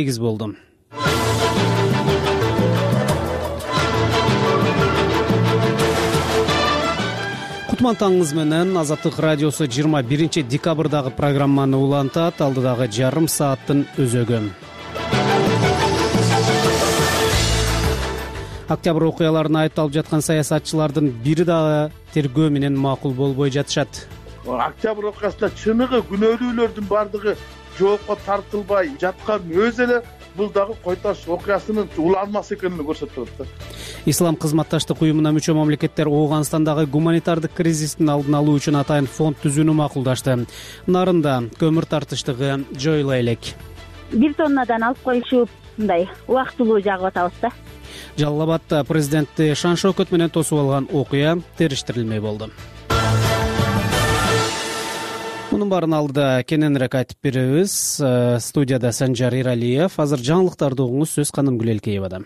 8 болду. Кутман таңыңыз менен Азаттык радиосу 21 декабрдагы программаны улантат. Алдыдагы жарым сааттын өзөгү. Октябрь окуяларына айыпталып жаткан саясатчылардын бири дагы тергөө менен макул болбой жатышат. Октябрь окуясында чыныгы күнөөлүүлөрдүн бардыгы жоопко тартылбай жаткан өзү эле бул дагы Кой Таш окуясынын уланмасы экенин көрсөтүп атат. Ислам кызматташтык уюмуна мүчө мамлекеттер Ооганстандагы гуманитардык кризистин алдын алуу үчүн атайын фонд түзүүнү макулдашты. Нарында көмүр тартыштыгы жоюла элек. 1 тоннадан алып коюшуп мындай убактылуу жагып атабыз да. Жалал Абадта президентти шан шоокөт менен тосуп алган окуя териштирилмей болду. Мунун баарын алдыда кененирээк айтып беребиз. Студияда Санжар Иралиев. Азыр жаңылыктарды угуңуз, сөз Каным Гүлелкеевада.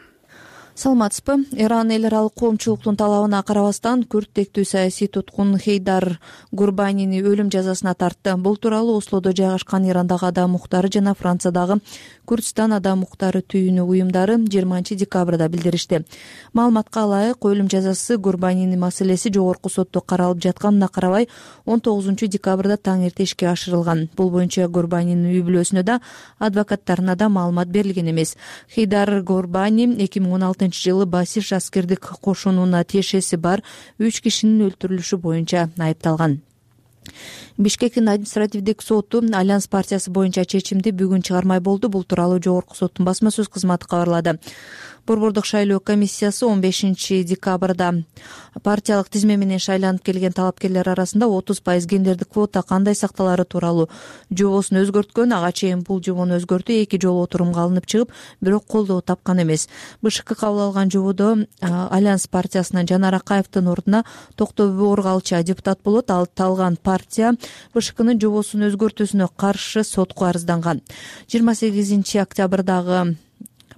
Саламатсызбы? Иран эл аралык коомчулуктун талабына карабастан күрттектүү саясий туткун Хейдар Гурбанини өлүм жазасына тартты. Бул тууралуу Ослодо жайгашкан Ирандагы адам укуктары жана Франциядагы Күрдистан адам укуктары түйүнү уюмдары 20 декабрда билдиришти. Маалыматка ылайык, өлүм жазасы Гурбанини маселеси жогорку сотто каралып жатканына карабай 19 декабрда таң эрте ишке ашырылган. Бул боюнча Гурбанинин үй бүлөсүнө да, адвокаттарына да маалымат берилген эмес. Хейдар Гурбани 2016-жылы Басиш аскердик кошунуна тиешеси бар 3 кишинин өлтүрүлүшү боюнча айыпталган. Бишкектин административдик соту Альянс партиясы боюнча чечимди бүгүн чыгармай болду. Бул тууралуу жогорку соттун басма сөз кызматы кабарлады. Борбордук шайлоо комиссиясы 15 декабрда партиялык тизме менен шайланып келген талапкерлер арасында 30% гендердик квота кандай сакталары тууралуу жобосун өзгөрткөн. Ага чейин бул жобону өзгөртүү 2 жолу отурумга алынып чыгып, бирок колдоо тапкан эмес. БШК кабыл алган жободо Альянс партиясынан Жанар Акаевдин ордуна Токтогул Оргалча депутат болот. Ал талган партия БШКнын жобосун өзгөртүүсүнө каршы сотко арызданган. 28 октябрдагы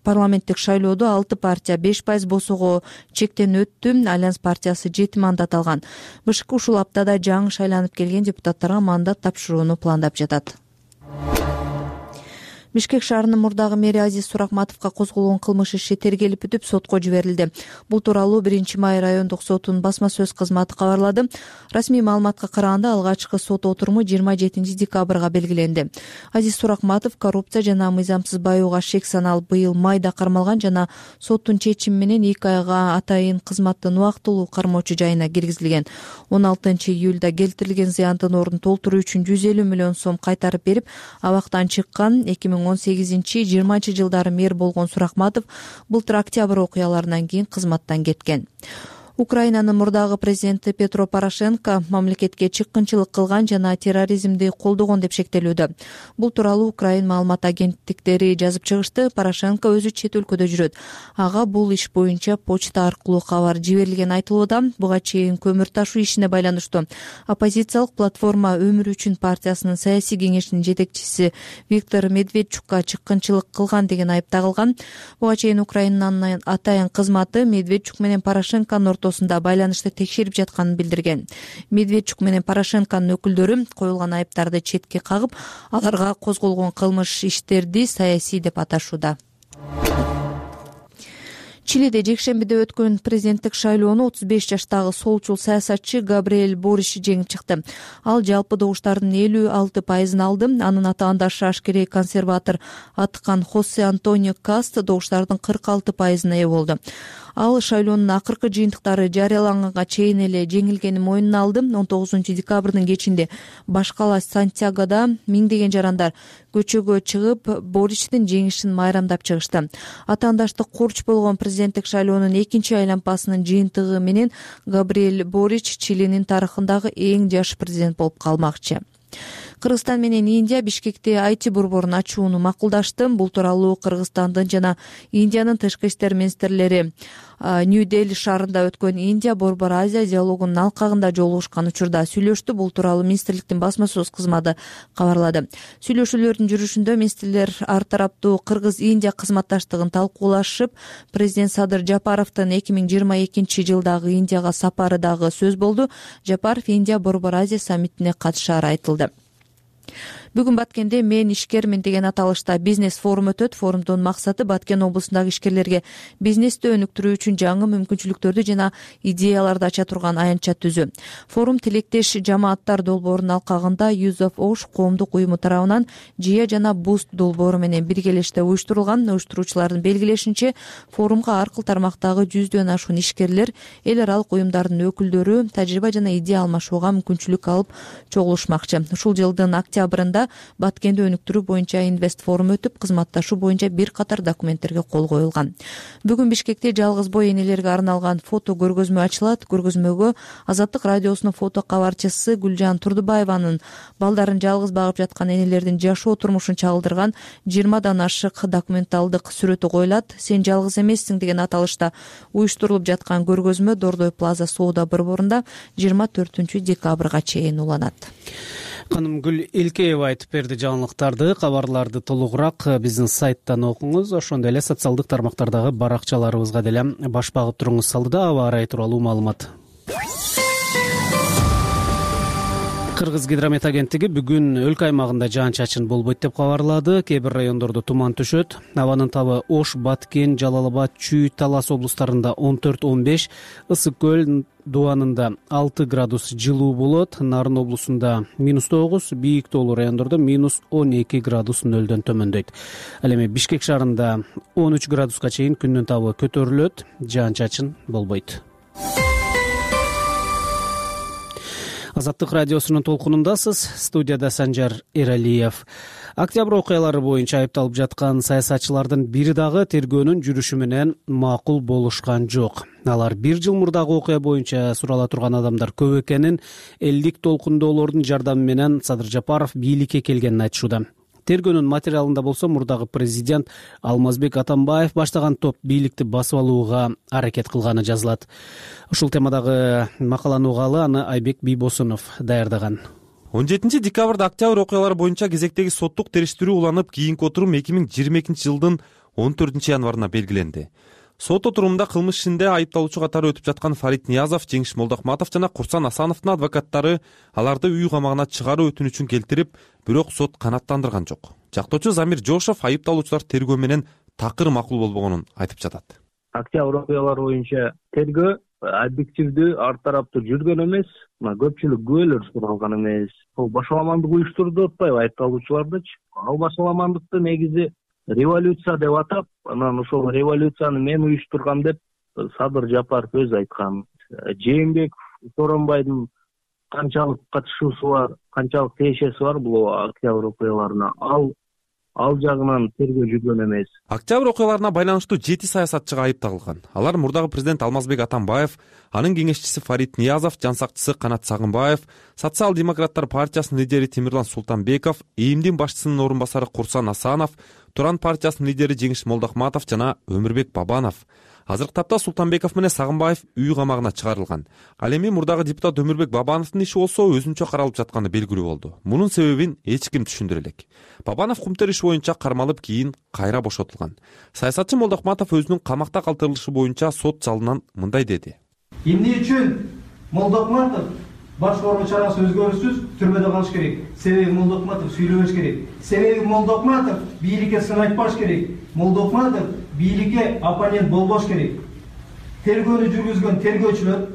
парламенттик шайлоодо 6 партия 5% босого чектен өттү. Альянс партиясы 7 мандат алган. БШК ушул аптада жаңы шайланып келген депутаттарга мандат тапшырууну пландап жатат. Бишкек шаарынын мурдагы мэри Азиз Суракматовго козголгон кылмыш иши тергелип бүтүп, сотко жиберилди. Бул тууралуу 1 май райондук сотунун басма сөз кызматы кабарлады. Расмий маалыматка караганда алгачкы сот отуруму 27 декабрга белгиленди. Азиз Суракматов коррупция жана мыйзамсыз баюуга шек саналып быйыл майда кармалган жана соттун чечими менен 2 айга атайын кызматтын убактылуу кармоочу жайына киргизилген. 16 июлда келтирилген зыяндын ордун толтуруу үчүн 150 миллион сом кайтарып берип, абактан чыккан. 2018-20 жылдары мэр болгон Суракматов былтыр октябрь окуяларынан кийин кызматтан кеткен. Украинанын мурдагы президенти Петро Порошенко мамлекетке чыккынчылык кылган жана терроризмди колдогон деп шектелүүдө. Бул тууралуу Украин маалымат агенттиктери жазып чыгышты. Порошенко өзү чет өлкөдө жүрөт. Ага бул иш боюнча почта аркылуу кабар жиберилген айтылууда. Буга чейин көмүр ташуу ишине байланыштуу оппозициялык платформа Өмүр үчүн партиясынын саясий кеңешинин жетекчиси Виктор Медведчукка чыккынчылык кылган деген айып тагылган. Буга чейин Украинанын атайын кызматы Медведчук менен Порошенконун ортосунда байланышты текшерип жатканын билдирген. Медведчук менен Порошенконун өкүлдөрү коюлган айыптарды четке кагып, аларга козголгон кылмыш иштерди саясий деп аташууда. Чилиде жекшембиде өткөн президенттик шайлоону 35 жаштагы солчул саясатчы Габриэль Бориш жеңип чыкты. Ал жалпы добуштардын 56% алды. Анын атаандашы ашкерей консерватор Аткан Хосе Антонио Каст добуштардын 46%-ына ээ болду. Ал шайлоонун акыркы жыйынтыктары жарыяланганга чейин эле жеңилгенин мойнуна алды. 19 декабрдын кечинде баш кала Сантьягода миңдеген жарандар көчөгө чыгып, Боричтин жеңишин майрамдап чыгышты. Атаандаштык курч болгон президенттик шайлоонун 2 айлампасынын жыйынтыгы менен Габриэль Борич Чилинин тарыхындагы эң жаш президент болуп калмакчы. Кыргызстан менен Индия Бишкекте IT борборун ачууну макулдашты. Бул тууралуу Кыргызстандын жана Индиянын тышкы иштер министрлери Нью-Дели шаарында өткөн Индия Борбор Азия диалогунун алкагында жолугушкан учурда сүйлөштү. Бул тууралуу министрликтин басма сөз кызматы кабарлады. Сүйлөшүүлөрдүн жүрүшүндө министрлер ар тараптуу Кыргыз-Индия кызматташтыгын талкуулашып, президент Садыр Жапаровдун 2022 жылдагы Индияга сапары дагы сөз болду. Жапаров Индия Борбор Азия саммитине катышаары айтылды. Бүгүн Баткенде мен ишкермин деген аталышта бизнес форум өтөт. Форумдун максаты Баткен облусундагы ишкерлерге бизнести өнүктүрүү үчүн жаңы мүмкүнчүлүктөрдү жана идеяларды ача турган аянтча түзүү. Форум тилектеш жамааттар долбоорунун алкагында Youth of Osh коомдук уюму тарабынан Жия жана Boost долбоору менен биргелеште уюштурулган. Уюштуруучулардын белгилешинче, форумга ар кыл тармактагы 100дөн ашуун ишкерлер, эл аралык уюмдардын өкүлдөрү тажрыйба жана идея алмашууга мүмкүнчүлүк алып чогулушмакчы. Ушул жылдын октябрында Баткенди өнүктүрүү боюнча инвест форум өтүп, кызматташуу боюнча бир катар документтерге кол коюлган. Бүгүн Бишкекте жалгыз бой энелерге арналган фото көргөзмө ачылат. Көргөзмөгө Азаттык радиосунун фото кабарчысы Гүлжан Турдубаеванын балдарын жалгыз багып жаткан энелердин жашоо турмушун чагылдырган 20дан ашык документалдык сүрөтү коюлат. Сен жалгыз эмессиң деген аталышта уюштурулуп жаткан көргөзмө Дордой Плаза соода борборунда 24 декабрга чейин уланат. Каным Гүл Илкеева айтып берди жаңылыктарды. Кабарларды толугураак биздин сайттан окуңуз. Ошондой эле социалдык тармактардагы баракчаларыбызга деле баш багып туруңуз. Салдыда аба ырайы тууралуу маалымат. Кыргыз гидромет агенттиги бүгүн өлкө аймагында жаан-чачын болбойт деп кабарлады. Кээ бир райондордо туман түшөт. Абанын табы Ош, Баткен, Жалал Абад, Чүй, Талас облустарында 14-15, Ысык көл Дуанында 6 градус жылуу болот. Нарын облусунда -9, бийик тоолуу райондордо -12 градус нөлдөн төмөндөйт. Ал эми Бишкек шаарында 13 градуска чейин күндүн табы көтөрүлөт. Жаан-чачын болбойт. Азаттык радиосунун толкунундасыз. Студияда Санжар Эралиев. Октябрь окуялары боюнча айыпталып жаткан саясатчылардын бири дагы тергөөнүн жүрүшү менен макул болушкан жок. Алар бир жыл мурдагы окуя боюнча сурала турган адамдар көп экенин, элдик толкундоолордун жардамы менен Садыр Жапаров бийликке келгенин айтышууда. Тергөөнүн материалында болсо мурдагы президент Алмазбек Атамбаев баштаган топ бийликти басып алууга аракет кылганы жазылат. Ушул темадагы макаланы угалы аны Айбек Бийбосунов даярдаган. 17 декабрда октябрь окуялары боюнча кезектеги соттук териштирүү уланып, кийинки отурум 2022 жылдын 14 январына белгиленди. Сот отурумунда кылмыш ишинде айыпталуучу катары өтүп жаткан Фарид Ниязов, Жеңиш Молдохматов жана Курсан Асановдун адвокаттары аларды үй камагына чыгаруу өтүнүчүн келтирип, бирок сот канааттандырган жок. Жактоочу Замир Жошов айыпталуучулар тергөө менен такыр макул болбогонун айтып жатат. Октябрь окуялары боюнча тергөө объективдүү, ар тараптуу жүргөн эмес, көпчүлүк күбөлөр суралган эмес. Бул башаламандык уюштурду деп атпайбы айыпталуучулардычы? Ал башаламандыкты негизи революция деп атап, анан ошол революцияны мен уюштургам деп Садыр Жапаров өзү айткан. Жээнбеков, Соронбайдын канчалык катышуусу бар, канчалык тиешеси бар бул октябрь окуяларына, ал жагынан тергөө жүргөн эмес. Октябрь окуяларына байланыштуу 7 саясатчыга айып тагылган. Алар мурдагы президент Алмазбек Атамбаев, анын кеңешчиси Фарид Ниязов, жансакчысы Канат Сагынбаев, Социал-демократтар партиясынын лидери Темирлан Султанбеков, ИИМдин башчысынын орун басары Курсан Асанов, Туран партиясынын лидери Жеңиш Молдохматов жана Өмүрбек Бабанов. Азыркы тапта Султанбеков менен Сагынбаев үй камагына чыгарылган. Ал эми мурдагы депутат Өмүрбек Бабановдун иши болсо өзүнчө каралып жатканы белгилүү болду. Мунун себебин эч ким түшүндүрө элек. Бабанов кумтер иши боюнча кармалып, кийин кайра бошотулган. Саясатчы Молдохматов өзүнүн камакта калтырылышы боюнча сот залынан мындай деди. Эмне үчүн Молдохматов башкаруу чарасы өзгөрүүсүз түрмөдө калыш керек? Себеби Молдохматов сүйлөбөш керек. Себеби Молдохматов бийликке сын айтпаш керек. Молдохматов бийликке оппонент болбош керек. Тергөөнү жүргүзгөн тергөөчүлөр,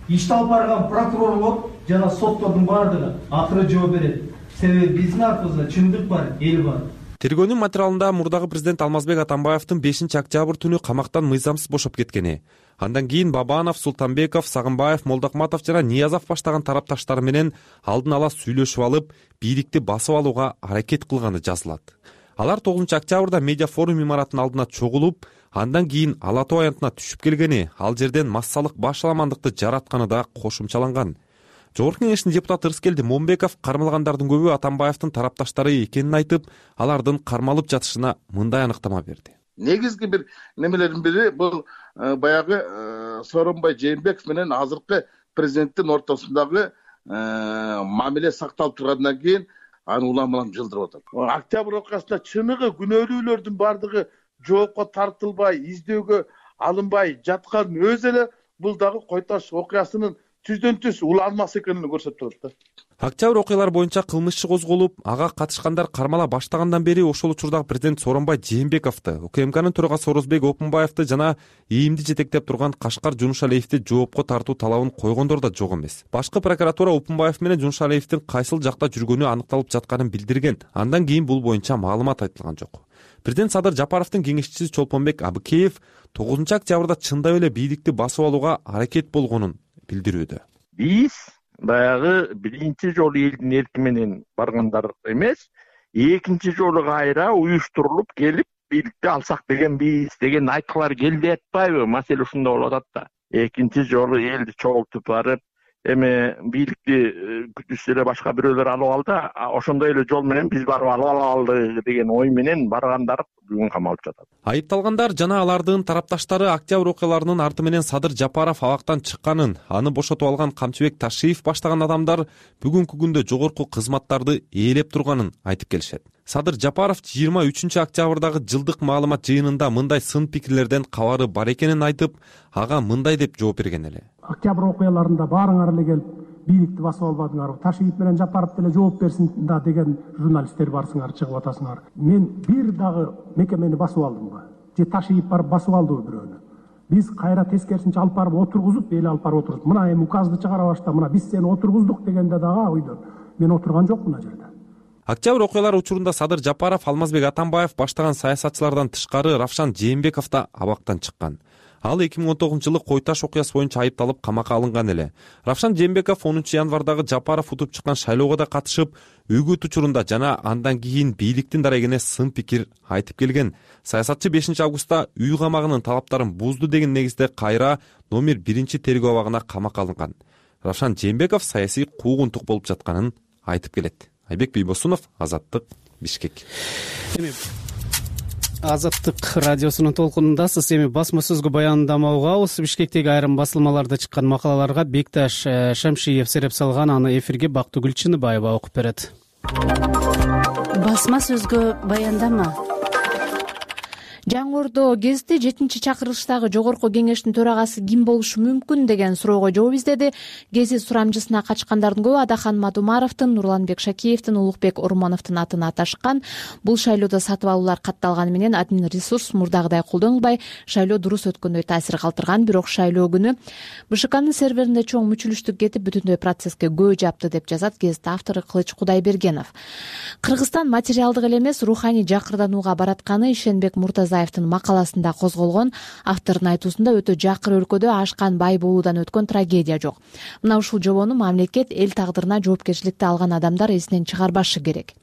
ишти алып барган прокурорлор жана соттордун баардыгы акыры жооп берет. Себеби биздин артыбызда чындык бар, эл бар. Тергөөнүн материалында мурдагы президент Алмазбек Атамбаевдин 5 октябрь түнү камактан мыйзамсыз бошоп кеткени, андан кийин Бабанов, Султанбеков, Сагынбаев, Молдохматов жана Ниязов баштаган тарапташтары менен алдын ала сүйлөшүп алып, бийликти басып алууга аракет кылганы жазылат. Алар 9 октябрда медиа форум имаратынын алдына чогулуп, андан кийин Ала Тоо аянтына түшүп келгени, ал жерден массалык башаламандыкты жаратканы да кошумчаланган. Жогорку кеңештин депутаты Ырыскелди Момбеков кармалгандардын көбү Атамбаевдин тарапташтары экенин айтып, алардын кармалып жатышына мындай аныктама берди. Негизги бир немелердин бири бул баягы Сооронбай Жээнбеков менен азыркы президенттин ортосундагы мамиле сакталып тургандан кийин аны улам жылдырып атат. Октябрь окуясында чыныгы күнөөлүүлөрдүн бардыгы жоопко тартылбай, издөөгө алынбай жаткан өзү эле бул дагы Кой Таш окуясынын түздөн түз уланмасы экенин көрсөтүп турат да. Октябрь окуялары боюнча кылмыш иши козголуп, ага катышкандар кармала баштагандан бери ошол учурдагы президент Сооронбай Жээнбековду, УКМКнын төрагасы Орозбек Опунбаевди жана ИИМди жетектеп турган Кашкар Жунушалиевди жоопко тартуу талабын койгондор да жок эмес. Башкы прокуратура Опунбаев менен Жунушалиевдин кайсыл жакта жүргөнү аныкталып жатканын билдирген. Андан кийин бул боюнча маалымат айтылган жок. Президент Садыр Жапаровдун кеңешчиси Чолпонбек Абыкеев 9 октябрда чындап эле бийликти басып алууга аракет болгонун билдирүүдө. Биз баягы биринчи жолу элдин эрки менен баргандар эмес, экинчи жолу кайра уюштурулуп келип бийликти алсак деген айткылар келди атпайбы? Маселе ушунда болуп атат да. Экинчи жолу элди чогултуп барып, эми бийликти күтүшсө эле башка бирөөлөр алып алды, ошондой эле жол менен биз барып алып алалы деген ой менен баргандар бүгүн камалып жатат. Айыпталгандар жана алардын тарапташтары октябрь окуяларынын арты менен Садыр Жапаров абактан чыкканын, аны бошотуп алган Камчыбек Ташиев баштаган адамдар бүгүнкү күндө жогорку кызматтарды ээлеп турганын айтып келишет. Садыр Жапаров 23 октябрдагы жылдык маалымат жыйынында мындай сын пикирлерден кабары бар экенин айтып, ага мындай деп жооп берген эле. Октябрь окуяларында баарыңар эле келип бийликти басып албадыңарбы? Ташиев менен Жапаров деле жооп берсин да деген журналисттер барсыңар, чыгып атасыңар. Мен бир дагы мекемени басып алдымбы? Же Ташиев барып басып алдыбы бирөөнү? Биз кайра тескерисинче алып барып отургузуп, эл алып барып отургузуп, мына эми указды чыгара башта, мына биз сени отургуздук дегенде дагы ойдон мен отурган жокмун ал жерде. Октябрь окуялары учурунда Садыр Жапаров, Алмазбек Атамбаев баштаган саясатчылардан тышкары Равшан Жээнбеков да абактан чыккан. Ал 2019 жылы Кой Таш окуясы боюнча айыпталып камакка алынган эле. Равшан Жээнбеков 10 январдагы Жапаров утуп чыккан шайлоого да катышып, үгүт учурунда жана андан кийин бийликтин дарегине сын пикир айтып келген. Саясатчы 5 августта үй камагынын талаптарын бузду деген негизде кайра номер 1 тергөө абагына камакка алынган. Равшан Жээнбеков саясий куугунтук болуп жатканын айтып келет. Айбек Бийбосунов, Азаттык, Бишкек. Азаттык радиосунун толкунундасыз. Эми басма сөзгө баяндама угабыз. Бишкектеги айрым басылмаларда чыккан макалаларга Бекташ Шамшиев сереп салган, аны эфирге Бактыгүл Чыныбаева окуп берет. Басма сөзгө баяндама. Жаңы Ордо гезити 7-чакырылыштагы жогорку кеңештин төрагасы ким болушу мүмкүн деген суроого жооп издеди. Гезит сурамжысына качкандардын көбү Адахан Мадумаровдун, Нурланбек Шакиевдин, Улукбек Ормоновдун атын аташкан. Бул шайлоодо сатып алуулар катталганы менен админ ресурс мурдагыдай колдонулбай, шайлоо дурус өткөндөй таасир калтырган. Бирок шайлоо күнү БШКнын серверинде чоң мүчүлүштүк кетип, бүтүндөй процесске көө жапты деп жазат гезит автору Кылыч Кудайбергенов. Кыргызстан материалдык эле эмес, руханий жакырданууга баратканы Ишенбек Муртазаевдин макаласында козголгон. Автордун айтуусунда өтө жакыр өлкөдө ашкан бай болуудан өткөн трагедия жок. Мына ушул жобону мамлекет эл тагдырына жоопкерчиликти алган адамдар эсинен чыгарбашы керек.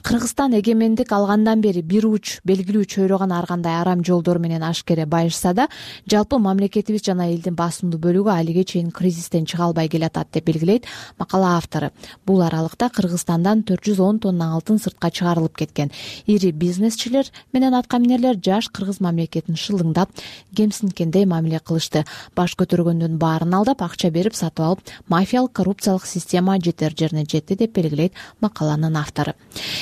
Кыргызстан эгемендик алгандан бери бир уч белгилүү чөйрөгөн ар кандай арам жолдор менен ашкере байышса да, жалпы мамлекетибиз жана элдин басымдуу бөлүгү алиге чейин кризистен чыга албай келатат деп белгилейт макала автору. Бул аралыкта Кыргызстандан 410 тонна алтын сыртка чыгарылып кеткен. Ири бизнесчилер менен аткаминерлер жаш кыргыз мамлекетин шылыңдап, кемсинткендей мамиле кылышты. Баш көтөргөндүн баарын алдап, акча берип сатып алып, мафиялык коррупциялык система жетер жерине жетти деп белгилейт макаланын автору.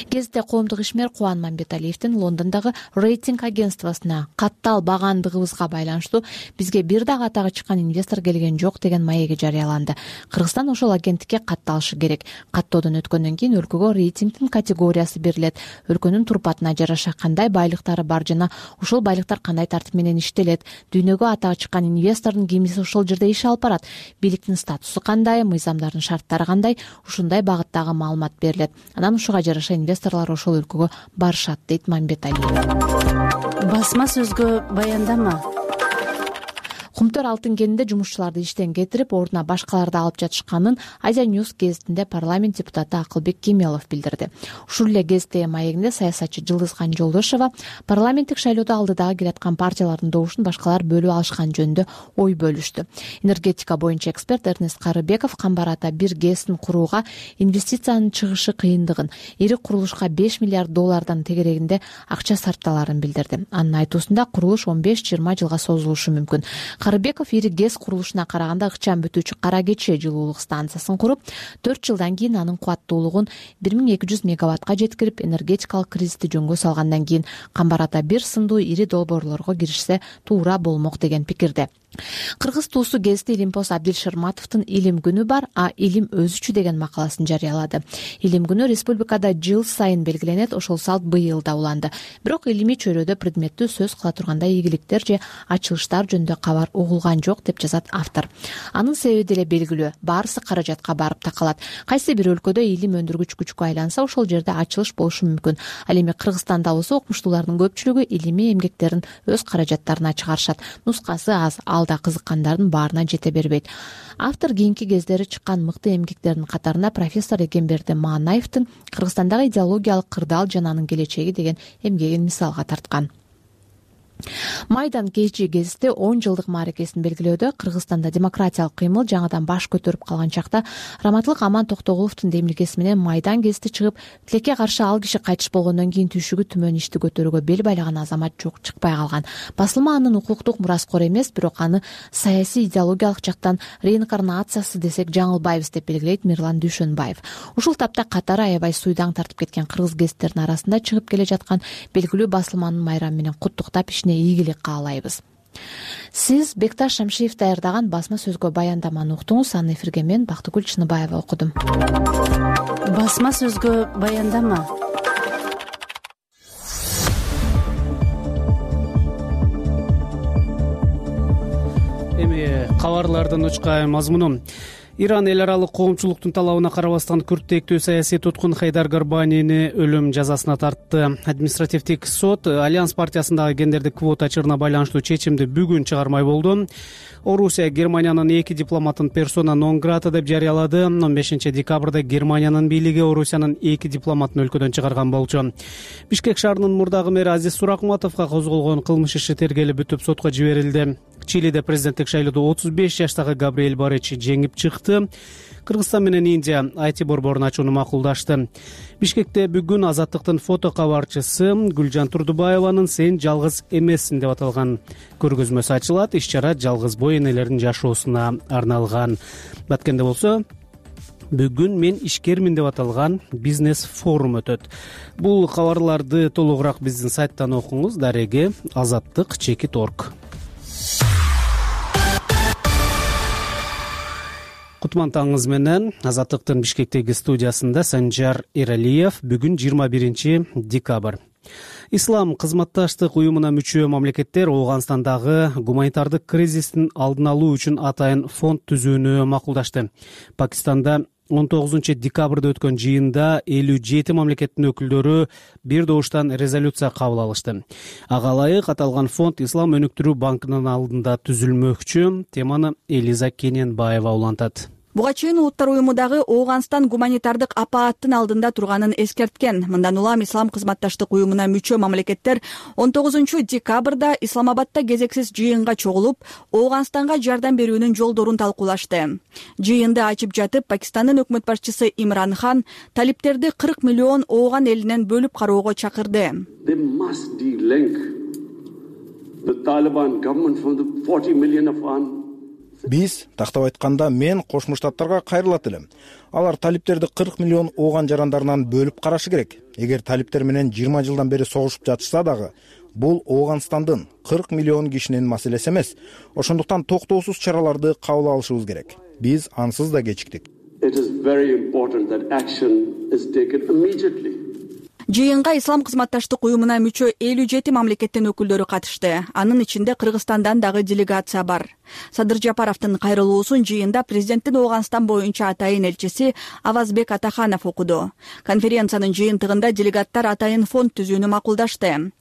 Гезитте коомдук ишмер Кубан Мамбеталиевдин Лондондогу рейтинг агентствосуна каттал багандыгыбызга байланыштуу бизге бир дагы атагы чыккан инвестор келген жок деген маеги жарыяланды. Кыргызстан ошол агенттикке катталышы керек. Каттоодон өткөндөн кийин өлкөгө рейтингдин категориясы берилет. Өлкөнүн турпатына жараша кандай байлыктары бар жана ушул байлыктар кандай тартип менен иштелет, дүйнөгө атагы чыккан инвестордун кимиси ошол жерде иш алып барат, бийликтин статусу кандай, мыйзамдардын шарттары кандай, ушундай багыттагы маалымат берилет. Анан ушуга жараша инвесторлор ошол өлкөгө барышат, дейт Мамбеталиев. Басма сөзгө баяндама. Кумтөр алтын кенинде жумушчуларды иштен кетирип, ордуна башкаларды алып жатышканын Азия Ньюс гезитинде парламент депутаты Акылбек Кемелов билдирди. Ушул эле гезиттеги маегинде саясатчы Жылдызхан Жолдошова парламенттик шайлоодо алдыдагы келаткан партиялардын добушун башкалар бөлүп алышкан жөнүндө ой бөлүштү. Энергетика боюнча эксперт Эрнест Карыбеков Камбар ата бир ГЭСин курууга инвестициянын чыгышы кыйындыгын, ири курулушка 5 миллиард доллардан тегерегинде акча сарпталарын билдирди. Анын айтуусунда курулуш 15-20 жылга созулушу мүмкүн. Карыбеков ири ГЭС курулушуна караганда ыкчам бүтүүчү Кара Кече жылуулук станциясын куруп, 4 жылдан кийин анын кубаттуулугун 1200 мегаваттка жеткирип, энергетикалык кризисти жөнгө салгандан кийин Камбар ата бир сындуу ири долбоорлорго киришсе туура болмок деген пикирде. Кыргыз туусу гезити Илимпоз Абдил Шырматовдун «Илим күнү бар, а илим өзүчү» деген макаласын жарыялады. Илим күнү республикада жыл сайын белгиленет, ошол салт быйыл да уланды. Бирок илимий чөйрөдө предметтүү сөз кыла турганда ийгиликтер же ачылыштар жөнүндө кабар угулган жок деп жазат автор. Анын себеби деле белгилүү, баарысы каражатка барып такалат. Кайсы бир өлкөдө илим өндүргүч күчкө айланса, ошол жерде ачылыш болушу мүмкүн. Ал эми Кыргызстанда болсо окумуштуулардын көпчүлүгү илимий эмгектерин өз каражаттарына чыгарышат. Нускасы аз, алда кызыккандардын баарына жете бербейт. Автор кийинки кездери чыккан мыкты эмгектердин катарына профессор Эгемберди Маанаевдин Кыргызстандагы идеологиялык кырдаал жана анын келечеги деген эмгегин мисалга тарткан. Майдан кечи гезити 10 жылдык мааракесин белгилөөдө Кыргызстанда демократиялык кыймыл жаңыдан баш көтөрүп калган чакта Раматылык Аман Токтогуловдун демилгеси менен Майдан гезити чыгып, тилекке каршы ал киши кайтыш болгондон кийин түйшүгү түмөн ишти көтөрүүгө бел байлаган азамат жок чыкпай калган. Басылма анын укуктук мураскору эмес, бирок аны саясий идеологиялык жактан реинкарнациясы десек жаңылбайбыз деп белгилейт Мирлан Дүйшөнбаев. Ушул тапта катары аябай суйдаң тартып кеткен кыргыз гезиттеринин арасында чыгып келе жаткан белгилүү басылманын майрамы менен куттуктап ишине ийгилик каалайбыз. Сиз Бекташ Шамшиев даярдаган басма сөзгө баяндаманы уктуңуз. Аны эфирге мен Бактыгүл Чыныбаева окудум. Басма сөзгө баяндама. Эми кабарлардын учкай мазмуну. Иран эл аралык коомчулуктун талабына карабастан күрттектүү саясий туткун Хайдар Горбанини өлүм жазасына тартты. Административдик сот Альянс партиясындагы гендердик квота чырына байланыштуу чечимди бүгүн чыгармай болду. Орусия Германиянын 2 дипломатын персона нон грата деп жарыялады. 15 декабрда Германиянын бийлиги Орусиянын 2 дипломатын өлкөдөн чыгарган болчу. Бишкек шаарынын мурдагы мэри Азиз Суракматовго козголгон кылмыш иши тергелип бүтүп сотко жиберилди. Чилиде президенттик шайлоодо 35 жаштагы Габриэль Борич жеңип чыкты. Кыргызстан менен Индия IT борборун ачууну макулдашты. Бишкекте бүгүн Азаттыктын фото кабарчысы Гүлжан Турдубаеванын «Сен жалгыз эмессиң» деп аталган көргөзмөсү ачылат. Иш-чара жалгыз бой энелердин жашоосуна арналган. Баткенде болсо бүгүн мен ишкермин деп аталган бизнес форум өтөт. Бул кабарларды толугураак биздин сайттан окуңуз. Дареги azattyk.org. Кутман таңыңыз менен. Азаттыктын Бишкектеги студиясында Санжар Эралиев. Бүгүн 21 декабрь. Ислам кызматташтык уюмуна мүчө мамлекеттер Ооганстандагы гуманитардык кризистин алдын алуу үчүн атайын фонд түзүүнү макулдашты. Пакистанда 19 декабрда өткөн жыйында 57 мамлекеттин өкүлдөрү бир добуштан резолюция кабыл алышты. Ага ылайык аталган фонд Ислам өнүктүрүү банкынын алдында түзүлмөкчү. Теманы Элиза Кененбаева улантат. Буга чейин Улуттар уюму дагы Ооганстан гуманитардык апааттын алдында турганын эскерткен. Мындан улам Ислам кызматташтык уюмуна мүчө мамлекеттер 19 декабрда Исламабадда кезексиз жыйынга чогулуп, Ооганстанга жардам берүүнүн жолдорун талкуулашты. Жыйынды ачып жатып, Пакистандын өкмөт башчысы Имран Хан талиптерди 40 миллион Ооган элинен бөлүп кароого чакырды. Биз, тактап айтканда, мен Кошмо Штаттарга кайрылат элем. Алар талиптерди 40 миллион Ооган жарандарынан бөлүп карашы керек. Эгер талиптер менен 20 жылдан бери согушуп жатышса дагы, бул Ооганстандын 40 миллион кишинин маселеси эмес. Ошондуктан токтоосуз чараларды кабыл алышыбыз керек. Биз ансыз да кечиктик. Жыйынга Ислам кызматташтык уюмуна мүчө 57 мамлекеттин өкүлдөрү катышты. Анын ичинде Кыргызстандан дагы делегация бар. Садыр Жапаровдун кайрылуусун жыйында президенттин Ооганстан боюнча атайын элчиси Авазбек Атаханов окуду. Конференциянын жыйынтыгында делегаттар атайын фонд түзүүнү макулдашты.